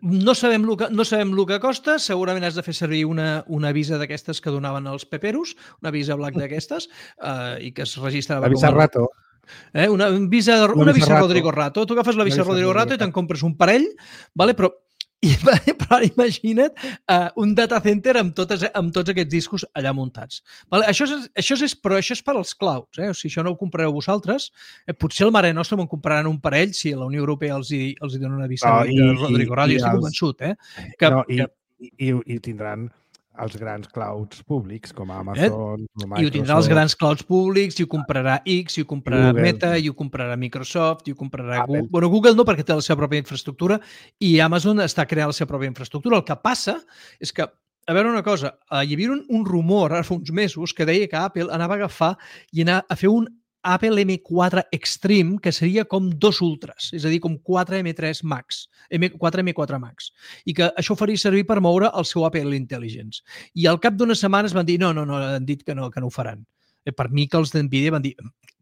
No sabem el que costa, segurament has de fer servir una visa d'aquestes que donaven els peperos, una visa black d'aquestes, i que es registrava...
La visa Rato.
Una visa Rodrigo Rato. Tu agafes la visa Rodrigo Rato i te'n compres un parell, vale? Però imagina't un data center amb tots aquests discos allà muntats. Vale? Això és per als clouds. O sigui, això no ho comprareu vosaltres. Potser el Mare Nostrum en compraran un parell si la Unió Europea els dona una visa de Rodrigo Rato. Estic convençut.
I tindran els grans clouds públics, com Amazon, Microsoft...
I ho tindrà els grans clouds públics, i ho comprarà X, i ho comprarà Google. Meta, i ho comprarà Microsoft, i ho comprarà Google. Bueno, Google no, perquè té la seva pròpia infraestructura, i Amazon està creant la seva pròpia infraestructura. El que passa és que, a veure una cosa, hi havia un rumor ara fa uns mesos que deia que Apple anava a agafar i anar a fer un Apple M4 Extreme, que seria com 2 ultras, és a dir, com 4 M3 Max, 4 M4 Max, i que això faria servir per moure el seu Apple Intelligence. I al cap d'unes setmanes van dir, no, han dit que no ho faran. Per mi que els d'NVIDIA van dir,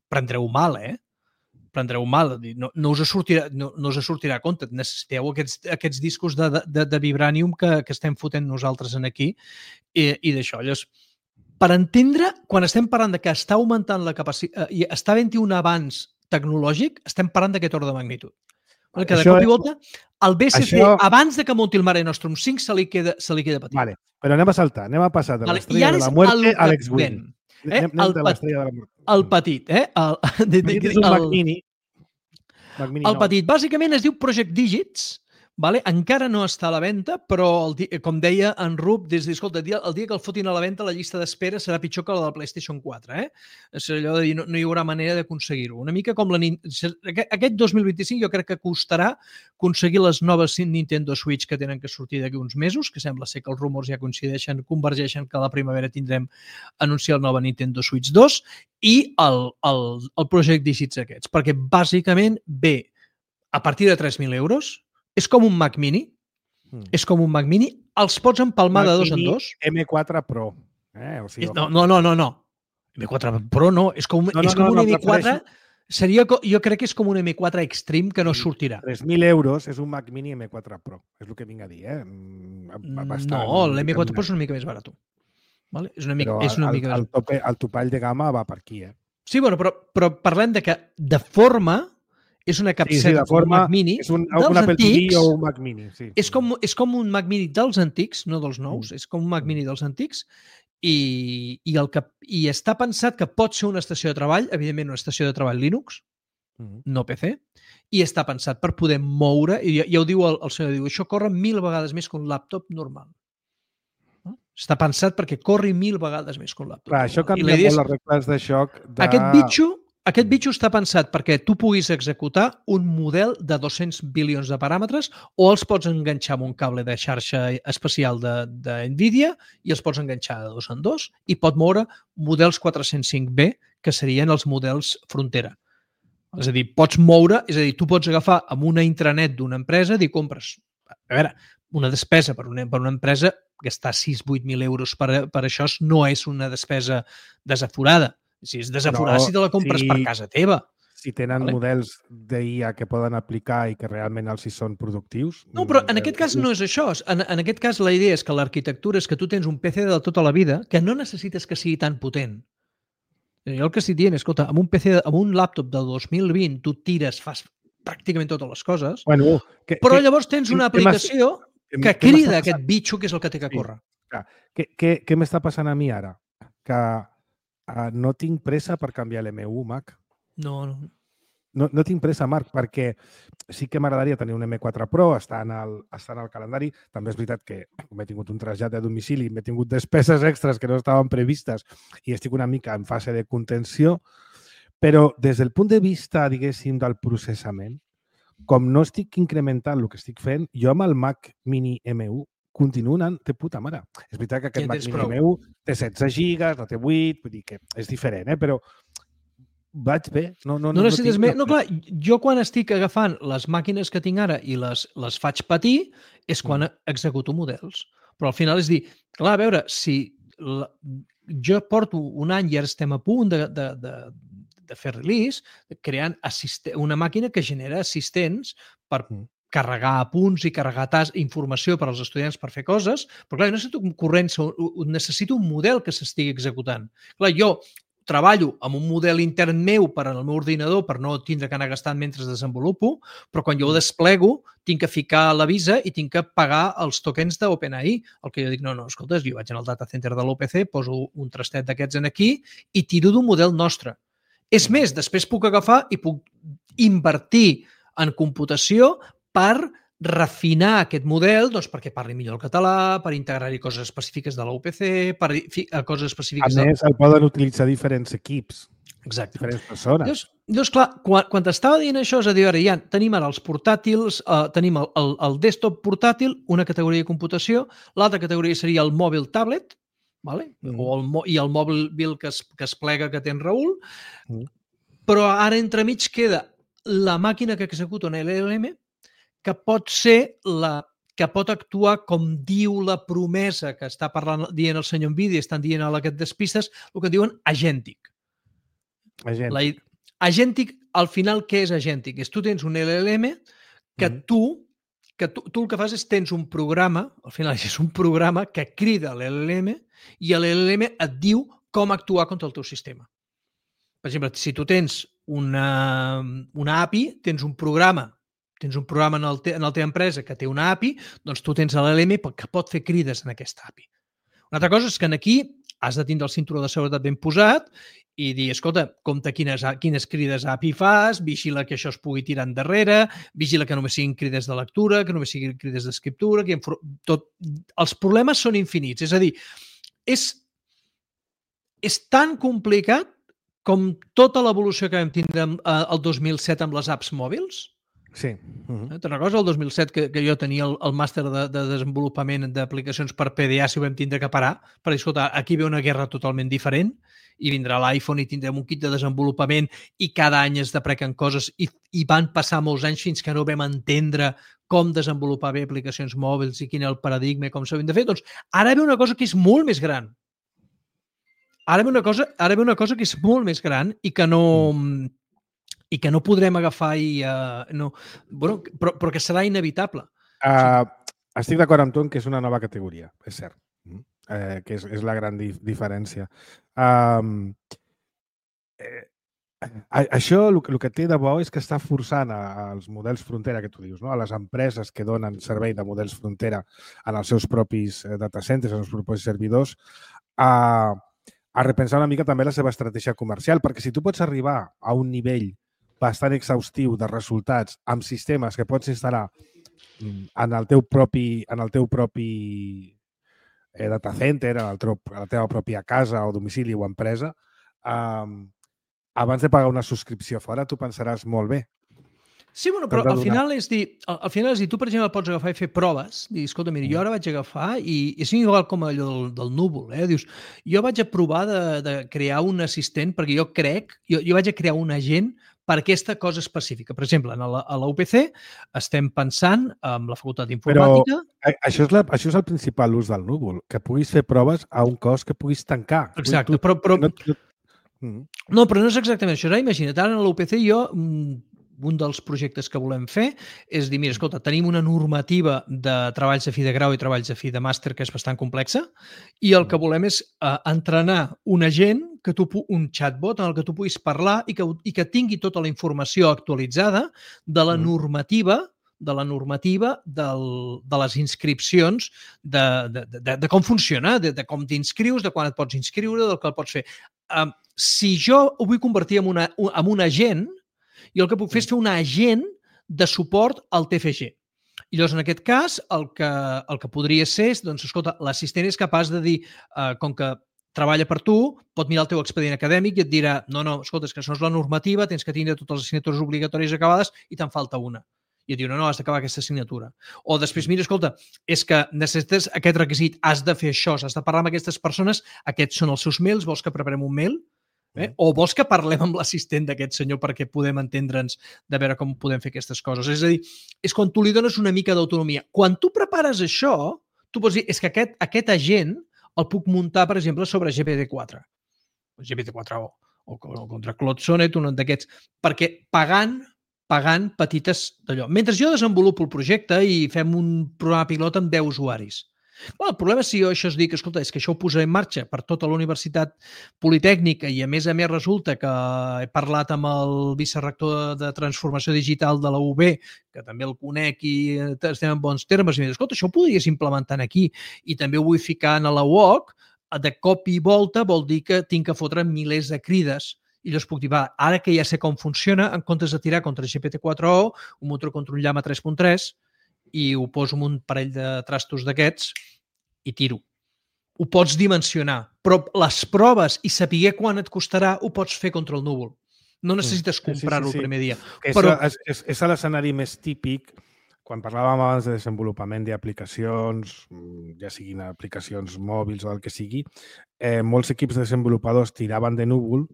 prendreu mal, prendreu mal, no us sortirà a compte, necessiteu aquests discos de vibranium que estem fotent nosaltres aquí i d'això. Llavors, per entendre, quan estem parlant de que està augmentant la capacitat i està havent-hi un avanç tecnològic, estem parlant d'aquest ordre de magnitud. Que de cop i volta, el BCC, abans de que munti el Mare Nostrum 5, se li queda petit.
Vale, però anem a saltar, anem a passar de l'estrella de la muerte a l'X-Wing.
El petit,
El petit és un Mac Mini.
El petit, bàsicament es diu Project Digits, vale? Encara no està a la venda, però, com deia en Rup, escolta, el dia que el fotin a la venda, la llista d'espera serà pitjor que la del PlayStation 4. És allò de dir, no hi haurà manera d'aconseguir-ho. Una mica com aquest 2025 jo crec que costarà aconseguir les noves Nintendo Switch que tenen que sortir d'aquí uns mesos, que sembla ser que els rumors ja convergeixen que a la primavera tindrem anunciar el nova Nintendo Switch 2 i el Project Digits aquests, perquè bàsicament ve a partir de 3.000 euros. És com un Mac Mini. És com un Mac Mini. Els pots empalmar de dos en dos.
M4 Pro.
O sigui, no. M4 Pro no. És com un M4... Jo crec que és com un M4 Extreme que no sortirà.
3.000 euros és un Mac Mini M4 Pro. És el que vinc a dir,
No, l'M4 Pro és una mica més barat. És una mica més barat.
El topall de gamma va per aquí,
Sí, però parlem de que de forma és una capseta
de forma,
Mac Mini
és un Apple TV o un Mac Mini. Sí.
És com un Mac Mini dels antics, no dels nous, és com un Mac Mini dels antics i està pensat que pot ser una estació de treball, evidentment una estació de treball Linux, no PC, i està pensat per poder moure, i ja ho diu el senyor, diu, això corre 1.000 vegades més que un laptop normal. Està pensat perquè corri 1.000 vegades més que un laptop.
Clar, això canvia molt les regles de xoc.
Aquest bitxo està pensat perquè tu puguis executar un model de 200 bilions de paràmetres o els pots enganxar amb un cable de xarxa especial de NVIDIA i els pots enganxar de dos en dos i pot moure models 405B, que serien els models frontera. És a dir, tu pots agafar amb una intranet d'una empresa i dir, compres. A veure, una despesa per una empresa, gastar 6-8.000 euros per això no és una despesa desaforada. Si és desaforada, si te la compres per casa teva.
Si tenen models d'IA que poden aplicar i que realment els hi són productius...
No, però en aquest cas no és això. En aquest cas la idea és que l'arquitectura és que tu tens un PC de tota la vida que no necessites que sigui tan potent. Jo el que estic dient, escolta, amb un laptop del 2020 tu tires, fas pràcticament totes les coses, però llavors tens una aplicació que crida aquest bitxo que és el que té que córrer.
Què m'està passant a mi ara? Que no tinc pressa per canviar l'M1 Mac. No tinc pressa, Marc, perquè sí que m'agradaria tenir un M4 Pro, està en el calendari. També és veritat que com he tingut un trasllat de domicili, m'he tingut despeses extres que no estaven previstes i estic una mica en fase de contenció, però des del punt de vista, diguéssim, del processament, com no estic incrementant el que estic fent, jo amb el Mac Mini M1 continuo anant de puta mare. És veritat que aquest Mac Mini M1 té 16 gigas, no té 8, vull dir que és diferent, però vaig bé. No
necessites més. No, clar, jo quan estic agafant les màquines que tinc ara i les faig patir és quan executo models. Però al final és dir, clar, a veure, si jo porto un any i ara estem a punt de fer release, creant una màquina que genera assistents per carregar apunts i carregar informació per als estudiants per fer coses, però clar, necessito un model que s'estigui executant. Clar, jo treballo amb un model intern meu per al meu ordinador per no tindre que anar gastant mentre desenvolupo, però quan jo ho desplego tinc que ficar la visa i tinc que pagar els tokens d'OpenAI. El que jo dic, no, escolta, jo vaig al data center de l'OPC, poso un trastet d'aquests aquí i tiro d'un model nostre. És més, després puc agafar i puc invertir en computació per refinar aquest model perquè parli millor el català, per integrar-hi coses específiques de l'OPC, per coses específiques...
A més, el poden utilitzar diferents equips.
Exacte.
Diferents persones.
Llavors, clar, quan t'estava dient això, és a dir, ja tenim ara els portàtils, tenim el desktop portàtil, una categoria de computació, l'altra categoria seria el mòbil tablet, i el mòbil que es plega que té en Raül, però ara entremig queda la màquina que executa un LLM que pot ser que pot actuar com diu la promesa que està dient el senyor NVIDIA, estan dient a aquest despistes, el que diuen agèntic. Agèntic, al final, què és agèntic? Tu tens un LLM que tu el que fas és tens un programa, al final és un programa que crida l'LLM i l'LLM et diu com actuar contra el teu sistema. Per exemple, si tu tens una API, tens un programa en la teva empresa que té una API, doncs tu tens l'LLM que pot fer crides en aquesta API. Una altra cosa és que aquí has de tindre el cinturó de seguretat ben posat i dir, escolta, compte quines crides API fas, vigila que això es pugui tirar endarrere, vigila que només siguin crides de lectura, que només siguin crides d'escriptura, els problemes són infinits. És a dir, és tan complicat com tota l'evolució que vam tindre el 2007 amb les apps mòbils.
Sí.
Te'n recordes el 2007 que jo tenia el màster de desenvolupament d'aplicacions per PDA si ho vam tindre que parar? Per dir, escolta, aquí ve una guerra totalment diferent i vindrà l'iPhone i tindrem un kit de desenvolupament i cada any es deprequen coses i van passar molts anys fins que no vam entendre com desenvolupar bé aplicacions mòbils i quin és el paradigma i com s'havien de fer. Doncs ara ve una cosa que és molt més gran. Ara ve una cosa que és molt més gran i que no podrem agafar però que serà inevitable.
Estic d'acord amb tu en que és una nova categoria, és cert, que és la gran diferència. Això el que té de bo és que està forçant als models frontera que tu dius, no? A les empreses que donen servei de models frontera en els seus propis data centers, en els propis servidors, a repensar una mica també la seva estratègia comercial, perquè si tu pots arribar a un nivell bastant exhaustiu de resultats amb sistemes que pots instal·lar en el teu propi data center, a la teva pròpia casa o domicili o empresa, abans de pagar una subscripció fora, tu pensaràs molt bé.
Sí, bueno, però al final és dir, tu, per exemple, pots agafar i fer proves, dir, escolta, mira, jo ara vaig agafar i és igual com allò del núvol, dius, jo vaig a provar de crear un assistent perquè jo crec, jo vaig a crear un agent per aquesta cosa específica. Per exemple, a la UPC estem pensant en la facultat d'informàtica...
Però això és el principal ús del núvol, que puguis fer proves a un cost que puguis tancar.
Exacte, però no és exactament això. Imagina't, ara a la UPC un dels projectes que volem fer és dir, mira, escolta, tenim una normativa de treballs de fi de grau i treballs de fi de màster que és bastant complexa i el que volem és entrenar un agent, un chatbot en el que tu puguis parlar i que tingui tota la informació actualitzada de la normativa de les inscripcions, de com funciona, de com t'inscrius, de quan et pots inscriure, del que el pots fer. Si jo ho vull convertir en un agent, jo el que puc fer és fer un agent de suport al TFG. I llavors, en aquest cas, el que podria ser és, doncs, escolta, l'assistent és capaç de dir, com que treballa per tu, pot mirar el teu expedient acadèmic i et dirà, no, escolta, és que això és la normativa, tens que tindre totes les assignatures obligatòries acabades i te'n falta una. I et diu, no, has d'acabar aquesta assignatura. O després, mira, escolta, és que necessites aquest requisit, has de fer això, has de parlar amb aquestes persones, aquests són els seus mails, vols que preparem un mail? O vols que parlem amb l'assistent d'aquest senyor perquè podem entendre'ns de veure com podem fer aquestes coses? És a dir, és quan tu li dones una mica d'autonomia. Quan tu prepares això, tu pots dir, és que aquest agent el puc muntar, per exemple, sobre GPT-4. GPT-4 o contra Claude Sonnet, un d'aquests, perquè pagant petites d'allò. Mentre jo desenvolupo el projecte i fem un programa pilot amb 10 usuaris. El problema és si jo això es dic, escolta, és que això ho posaré en marxa per tota la Universitat Politècnica i a més resulta que he parlat amb el vicerector de Transformació Digital de la UB, que també el conec i estem en bons termes, i em diu, escolta, això ho podries implementar aquí i també ho vull ficar a la UOC, de cop i volta vol dir que tinc que fotre milers de crides. I llavors puc dir, ara que ja sé com funciona, en comptes de tirar contra GPT-4o, ho munto contra un Llama 3.3 i ho poso en un parell de trastos d'aquests i tiro. Ho pots dimensionar, però les proves i saber quan et costarà ho pots fer contra el núvol. No necessites comprar-ho el primer dia.
Però... És l'escenari més típic quan parlàvem abans de desenvolupament d'aplicacions, ja siguin aplicacions mòbils o el que sigui, molts equips de desenvolupadors tiraven de núvol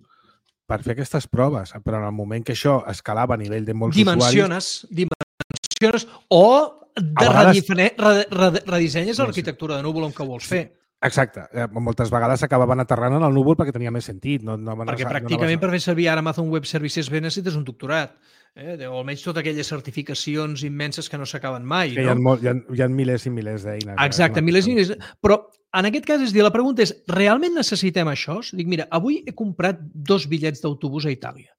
per fer aquestes proves, però en el moment que això escalava a nivell de molts usuaris...
Dimensiones o redissenyes l'arquitectura de núvol on que vols fer.
Exacte. Moltes vegades acabaven aterrant en el núvol perquè tenia més sentit.
Perquè pràcticament per fer servir ara Amazon Web Services bé necessites un doctorat. O almenys totes aquelles certificacions immenses que no s'acaben mai.
Hi ha milers i milers d'eines.
Exacte, milers i milers. Però en aquest cas, la pregunta és, realment necessitem això? Dic, mira, avui he comprat 2 bitllets d'autobús a Itàlia.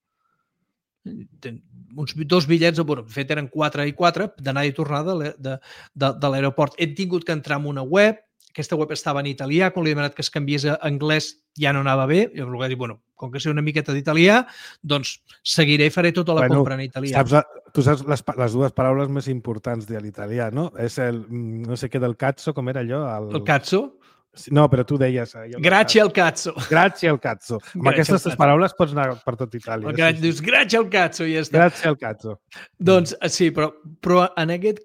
Uns 2 bitllets, de fet eren 4 i 4, d'anada i tornada de l'aeroport. He tingut que entrar en una web, aquesta web estava en italià, quan li he demanat que es canviés a anglès ja no anava bé, i va dir, bueno, com que sé una miqueta d'italià, doncs seguiré i faré tota la compra en italià.
Tu saps les dues paraules més importants de l'italià, no? És el, no sé què del cazzo, com era allò?
El cazzo?
No, però tu deies...
Grazie al cazzo.
Grazie al cazzo. Amb aquestes tres paraules pots anar per tot Itàlia.
Dius, grazie al cazzo, i ja està.
Grazie al cazzo.
Doncs sí, però en aquest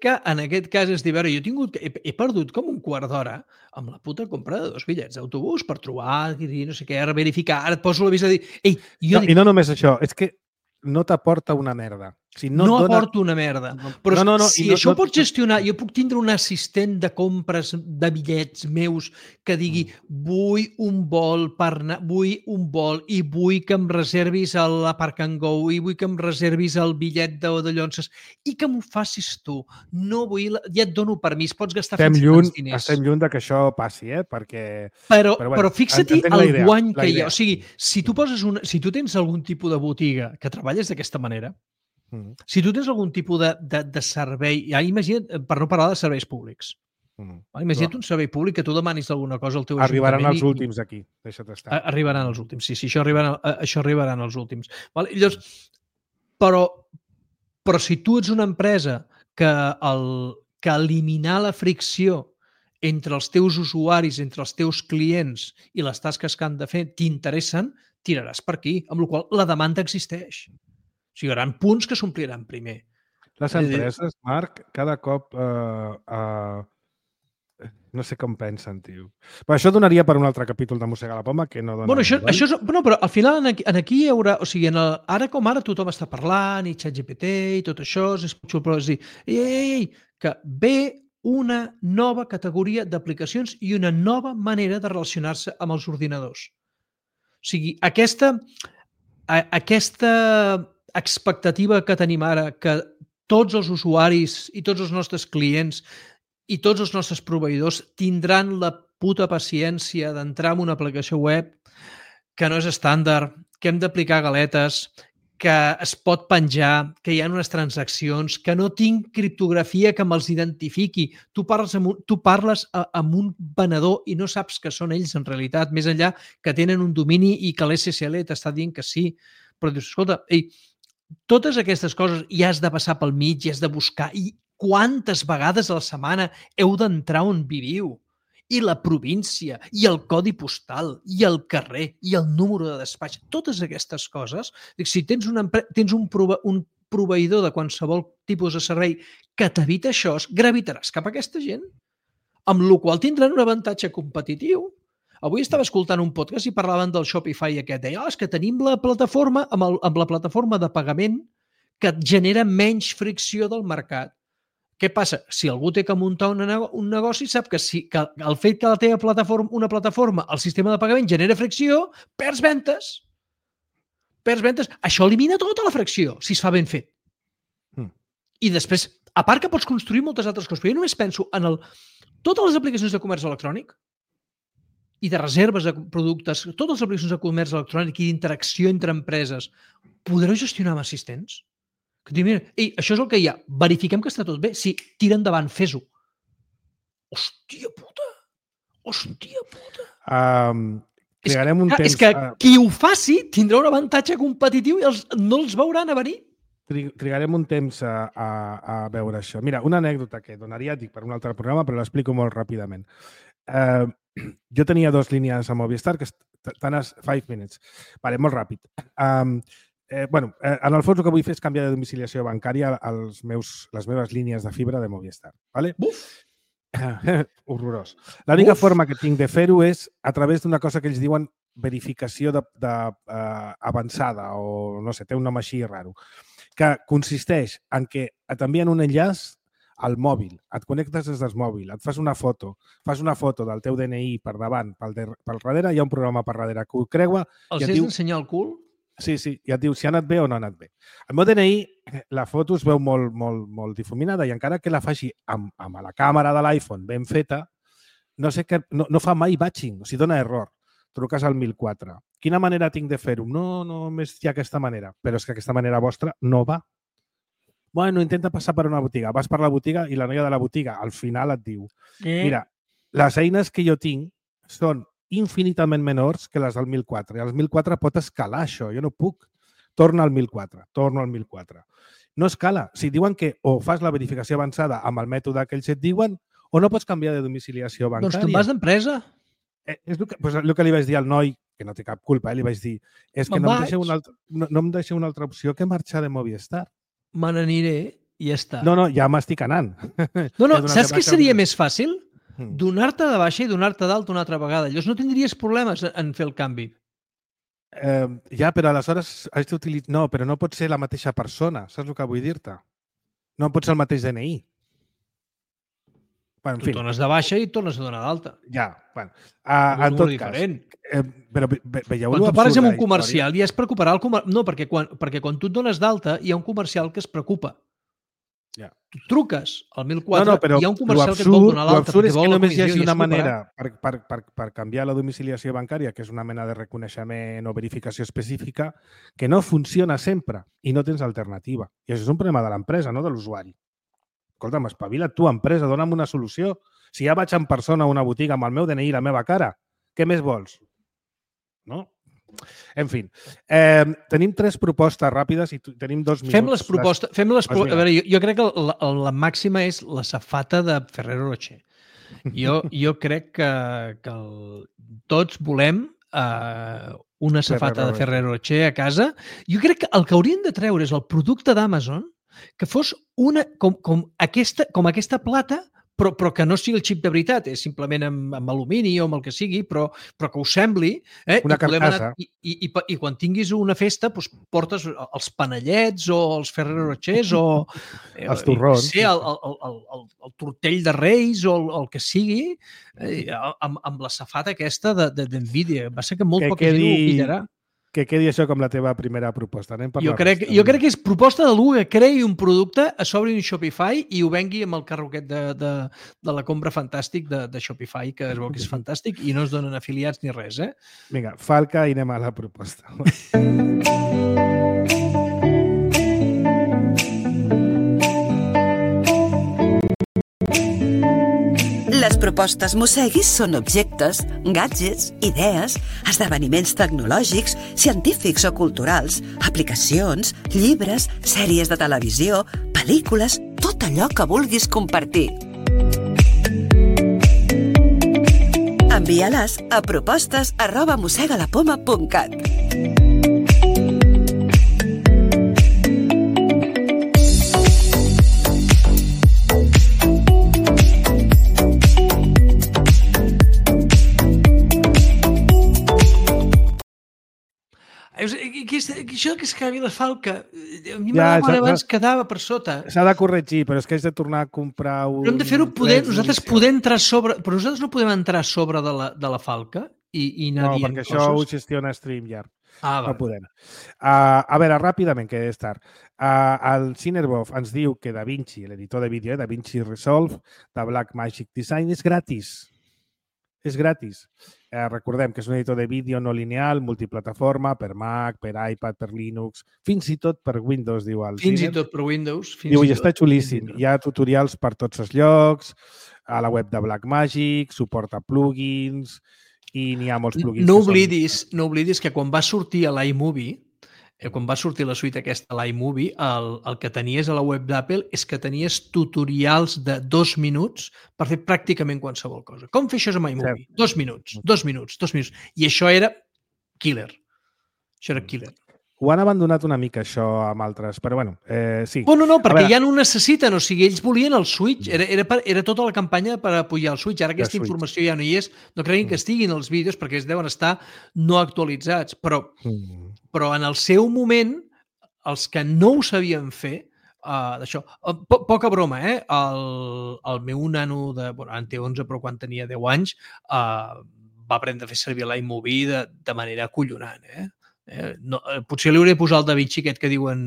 cas és dir, veure, jo he perdut com un quart d'hora amb la puta compra de 2 bitllets d'autobús per trobar, no sé què, verificar, ara et poso l'avís de dir... Ei,
I no només això, és que no t'aporta una merda.
O sigui, no aporta una merda. Però si això ho pots gestionar, jo puc tindre un assistent de compres de bitllets meus que digui vull un vol i vull que em reservis a Park and Go i vull que em reservis el bitllet de Llonses i que m'ho facis tu. No vull... Ja et dono permís, pots gastar fins tants diners.
Estem lluny que això passi, perquè...
Però fixa-t'hi el guany que hi ha. O sigui, si tu tens algun tipus de botiga que treballes d'aquesta manera, si tu tens algun tipus de servei, ja imagina't, per no parlar de serveis públics, imagina't un servei públic que tu demanis alguna cosa al teu ajuntament.
Arribaran els últims aquí, deixa't estar.
Arribaran els últims, sí, això arribaran els últims. Llavors, però si tu ets una empresa que eliminar la fricció entre els teus usuaris, entre els teus clients i les tasques que han de fer t'interessen, tiraràs per aquí, amb la qual cosa la demanda existeix. O sigui, hi haurà punts que s'ompliran primer.
Les empreses, Marc, cada cop no sé com pensen, tio. Però això donaria per un altre capítol de Mossegar la Poma que no dona...
Però al final aquí hi haurà... O sigui, ara com ara tothom està parlant i ChatGPT i tot això, és dir, que ve una nova categoria d'aplicacions i una nova manera de relacionar-se amb els ordinadors. O sigui, aquesta expectativa que tenim ara, que tots els usuaris i tots els nostres clients i tots els nostres proveïdors tindran la puta paciència d'entrar en una aplicació web que no és estàndard, que hem d'aplicar galetes, que es pot penjar, que hi ha unes transaccions, que no tinc criptografia que me'ls identifiqui. Tu parles amb un venedor i no saps que són ells en realitat, més enllà que tenen un domini i que l'SSL t'està dient que sí. Però dius, escolta, totes aquestes coses hi has de passar pel mig i has de buscar. I quantes vegades a la setmana heu d'entrar on viviu? I la província, i el codi postal, i el carrer, i el número de despatx. Totes aquestes coses, si tens un proveïdor de qualsevol tipus de servei que t'evita això, gravitaràs cap a aquesta gent, amb la qual tindran un avantatge competitiu. Avui estava escoltant un podcast i parlaven del Shopify aquest. Deia, és que tenim la plataforma, amb la plataforma de pagament que genera menys fricció del mercat. Què passa? Si algú té que muntar un negoci, sap que el fet que la teva una plataforma, el sistema de pagament genera fricció, perds ventes. Això elimina tota la fricció, si es fa ben fet. I després, a part que pots construir moltes altres coses, però jo només penso en totes les aplicacions de comerç electrònic i de reserves de productes, totes les aplicacions de comerç electrònic i d'interacció entre empreses, podreu gestionar amb assistents? Que diu, mira, això és el que hi ha. Verifiquem que està tot bé. Sí, tira endavant, fes-ho. Hòstia puta!
Trigarem un temps...
És que qui ho faci tindrà un avantatge competitiu i no els veuran a venir.
Trigarem un temps a veure això. Mira, una anècdota que donaria, dic, per un altre programa, però l'explico molt ràpidament. Jo tenia 2 línies a Movistar, que estan a 5 minutes. Vale, molt ràpid. En el fons el que vull fer és canviar de domiciliació bancària a les meves línies de fibra de Movistar. Vale? Horrorós. L'única forma que tinc de fer-ho és a través d'una cosa que ells diuen verificació avançada o no sé, té un nom així raro, que consisteix en que t'envien un enllaç al mòbil, et connectes des del mòbil, et fas una foto del teu DNI per davant, pel darrere, hi ha un programa per darrere que ho creua.
Els has d'ensenyar el cul?
Sí, i et diu si ha anat bé o no ha anat bé. El meu DNI, la foto es veu molt difuminada i encara que la faci amb la càmera de l'iPhone ben feta, no fa mai batching, o sigui, dona error. Truques al 1004. Quina manera tinc de fer-ho? No, només hi ha aquesta manera. Però és que aquesta manera vostra no va. Bueno, intenta passar per una botiga. Vas per la botiga i la noia de la botiga al final et diu mira, les eines que jo tinc són infinitament menors que les del 1004. I el 1004 pot escalar això, jo no puc. Torno al 1004. No escala. Si diuen que o fas la verificació avançada amb el mètode que ells et diuen o no pots canviar de domiciliació bancària.
Doncs te'n vas d'empresa.
És el que li vaig dir al noi, que no té cap culpa, li vaig dir, és que no em deixeu una altra opció que marxar de Movistar.
Me n'aniré i ja està.
No, ja m'estic anant.
No, saps què seria més fàcil? Donar-te de baixa i donar-te d'alta una altra vegada. Llavors no tindries problemes en fer el canvi.
Ja, però aleshores has d'utilitzar... No, però no pot ser la mateixa persona, saps el que vull dir-te? No pot ser el mateix DNI.
Bueno, tu tornes de baixa i tornes a donar d'alta.
Ja, bueno. En tot cas... Però veieu
quan tu pares amb un comercial ja es preocuparà el comercial. No, perquè quan tu et dones d'alta hi ha un comercial que es preocupa.
Ja.
Tu truques al 1004 i hi ha un comercial que et vol donar l'alta.
L'absurd és que només hi hagi una manera per canviar la domiciliació bancària, que és una mena de reconeixement o verificació específica, que no funciona sempre i no tens alternativa. I això és un problema de l'empresa, no de l'usuari. Escolta'm, espavila't tu, empresa, dona'm una solució. Si ja vaig en persona a una botiga amb el meu DNI i la meva cara, què més vols? No? En fi, tenim 3 propostes ràpides i tenim 2 minuts.
Fem les propostes. A veure, jo crec que la màxima és la safata de Ferrero Rocher. Jo crec que tots volem una safata de Ferrero Rocher a casa. Jo crec que el que haurien de treure és el producte d'Amazon que fos una com aquesta plata, però que no sigui el xip de veritat, és simplement amb alumini o amb el que sigui, però que us sembli.
Una carcassa.
I quan tinguis una festa portes els panellets o els Ferrero Rochers o
els torrons.
El tortell de Reis o el que sigui, amb la safata aquesta d'Nvidia. Va ser que molt poca gent ho pillarà.
Que quedi això com la teva primera proposta.
Jo crec que és proposta d'algú que creï un producte, a sobre un Shopify i ho vengui amb el carroquet de la compra fantàstic de Shopify, que es veu que és fantàstic i no es donen afiliats ni res.
Vinga, falca i anem a la proposta.
Les propostes Mosseguis són objectes, gadgets, idees, esdeveniments tecnològics, científics o culturals, aplicacions, llibres, sèries de televisió, pel·lícules, tot allò que vulguis compartir. Envia-les a propostes@mossegalapoma.cat.
Això que escrivi la falca, a mi m'agrada abans quedava per sota.
S'ha de corregir, però és que has de tornar a comprar un...
Però hem de fer-ho poder, nosaltres podem entrar sobre... Però nosaltres no podem entrar sobre de la falca i anar dient coses.
No, perquè això ho gestiona StreamYard. No podem. A veure, ràpidament, que és tard. El Cinerbov ens diu que DaVinci, l'editor de vídeo, DaVinci Resolve, de Blackmagic Design, és gratis. És gratis. Recordem que és un editor de vídeo no lineal, multiplataforma, per Mac, per iPad, per Linux, fins i tot per Windows, diu el
Fins i tot per Windows.
Diu, i està xulíssim. Hi ha tutorials per tots els llocs, a la web de Blackmagic, suporta plugins i n'hi ha molts plugins.
No oblidis que quan va sortir a l'iMovie, quan va sortir la suite aquesta a l'iMovie, el que tenies a la web d'Apple és que tenies tutorials de 2 minuts per fer pràcticament qualsevol cosa. Com fer això amb iMovie? 2 minuts. I això era killer. Ho
han abandonat una mica, això, amb altres, però bueno, sí.
No, perquè ja no ho necessiten, o sigui, ells volien el Switch, era tota la campanya per apujar el Switch, ara aquesta informació ja no hi és, no creguin que estiguin els vídeos perquè es deuen estar no actualitzats, però en el seu moment, els que no ho sabien fer, d'això, poca broma, el meu nano, en té 11, però quan tenia 10 anys, va aprendre a fer servir l'iMovie de manera acollonant, potser li hauré de posar el DaVinci aquest que diuen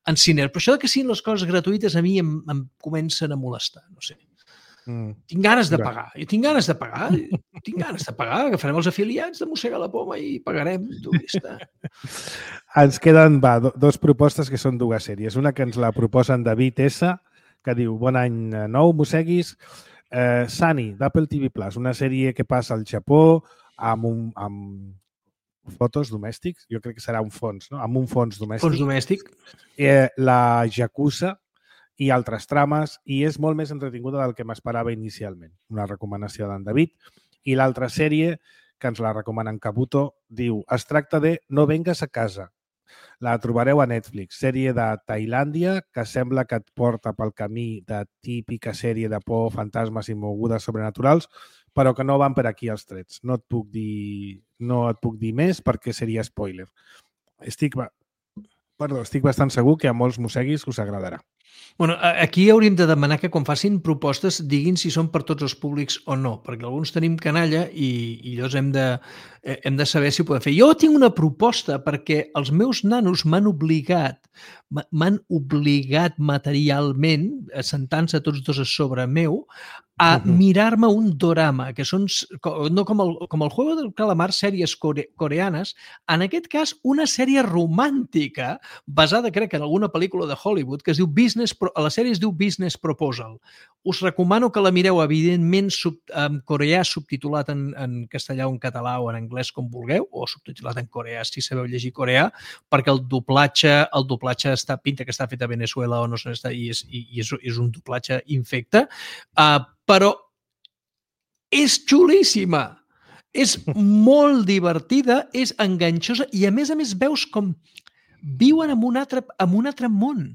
en Ciner, però això que siguin les coses gratuïtes a mi em comencen a molestar, no sé. Tinc ganes de pagar. Jo tinc ganes de pagar. Agafarem els afiliats de Mossegar la Poma i pagarem.
Ens queden 2 propostes que són 2 sèries. Una que ens la proposen David S, que diu: bon any nou, Mosseguis. Sunny, d'Apple TV+, una sèrie que passa al Japó amb fotos domèstics, jo crec que serà un fons, no? Amb un fons domèstic.
Fons domèstic.
La Yakuza i altres trames, i és molt més entretinguda del que m'esperava inicialment. Una recomanació d'en David. I l'altra sèrie, que ens la recomanen Kabuto, diu: es tracta de No vengues a casa. La trobareu a Netflix, sèrie de Tailàndia que sembla que et porta pel camí de típica sèrie de por, fantasmes i mogudes sobrenaturals, però que no van per aquí els trets. No et puc dir més perquè seria spoiler. Estic bastant segur que a molts mosseguis us agradarà.
Bueno, aquí hauríem de demanar que quan facin propostes diguin si són per tots els públics o no, perquè alguns tenim canalla i llavors hem de saber si ho podem fer. Jo tinc una proposta perquè els meus nanos m'han obligat materialment, sentant-se tots dos a sobre meu, a mirar-me un dorama, que són, no com el Juego del Calamar, sèries coreanes, en aquest cas una sèrie romàntica basada, crec, en alguna pel·lícula de Hollywood, que es diu la sèrie es diu Business Proposal. Us recomano que la mireu, evidentment, en coreà subtitulat en castellà o en català o en anglès, com vulgueu, o subtitulat en coreà, si sabeu llegir coreà, perquè el doblatge pinta que està fet a Venezuela o no sé, i és un doblatge infecte, però és xulíssima, és molt divertida, és enganxosa i a més veus com viuen en un altre món.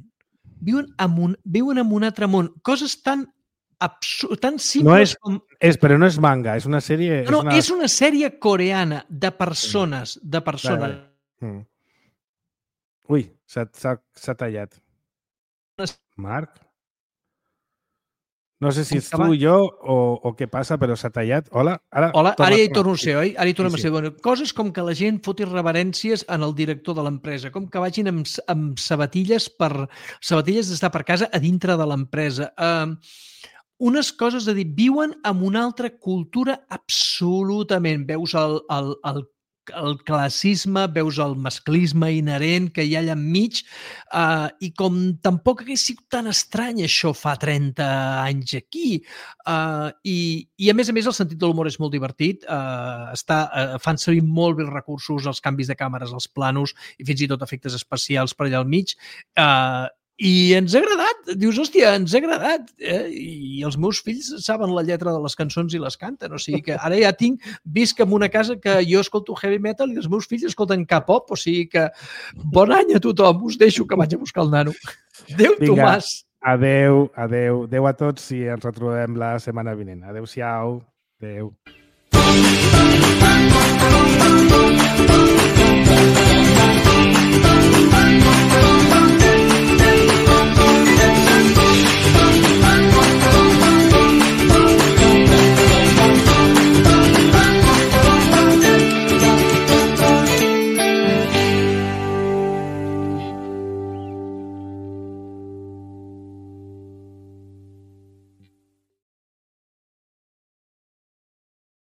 Viuen en un altre món. Coses tan simples com...
Però no és manga, és una sèrie...
No, és una sèrie coreana de persones.
Ui, s'ha tallat. Marc? No sé si ets tu, jo o què passa, però s'ha tallat. Hola? Ara
ja hi torno a ser, oi? Ara hi tornem a ser. Bueno, coses com que la gent foti reverències en el director de l'empresa, com que vagin amb sabatilles d'estar per casa a dintre de l'empresa. Unes coses de dir, viuen en una altra cultura absolutament. Veus el classisme, veus el masclisme inherent que hi ha allà enmig i com tampoc hagués sigut tan estrany això fa 30 anys aquí. I a més el sentit de l'humor és molt divertit. Fan servir molt bé els recursos, els canvis de càmeres, els planos i fins i tot efectes especials per allà al mig. I ens ha agradat. Dius, hòstia, ens ha agradat. I els meus fills saben la lletra de les cançons i les canten. O sigui que ara ja visc en una casa que jo escolto heavy metal i els meus fills escolten K-pop. O sigui que bon any a tothom. Us deixo que vaig a buscar el nano. Adéu, Tomàs.
Adéu a tots i ens retrobem la setmana vinent. Adéu-siau. Adéu.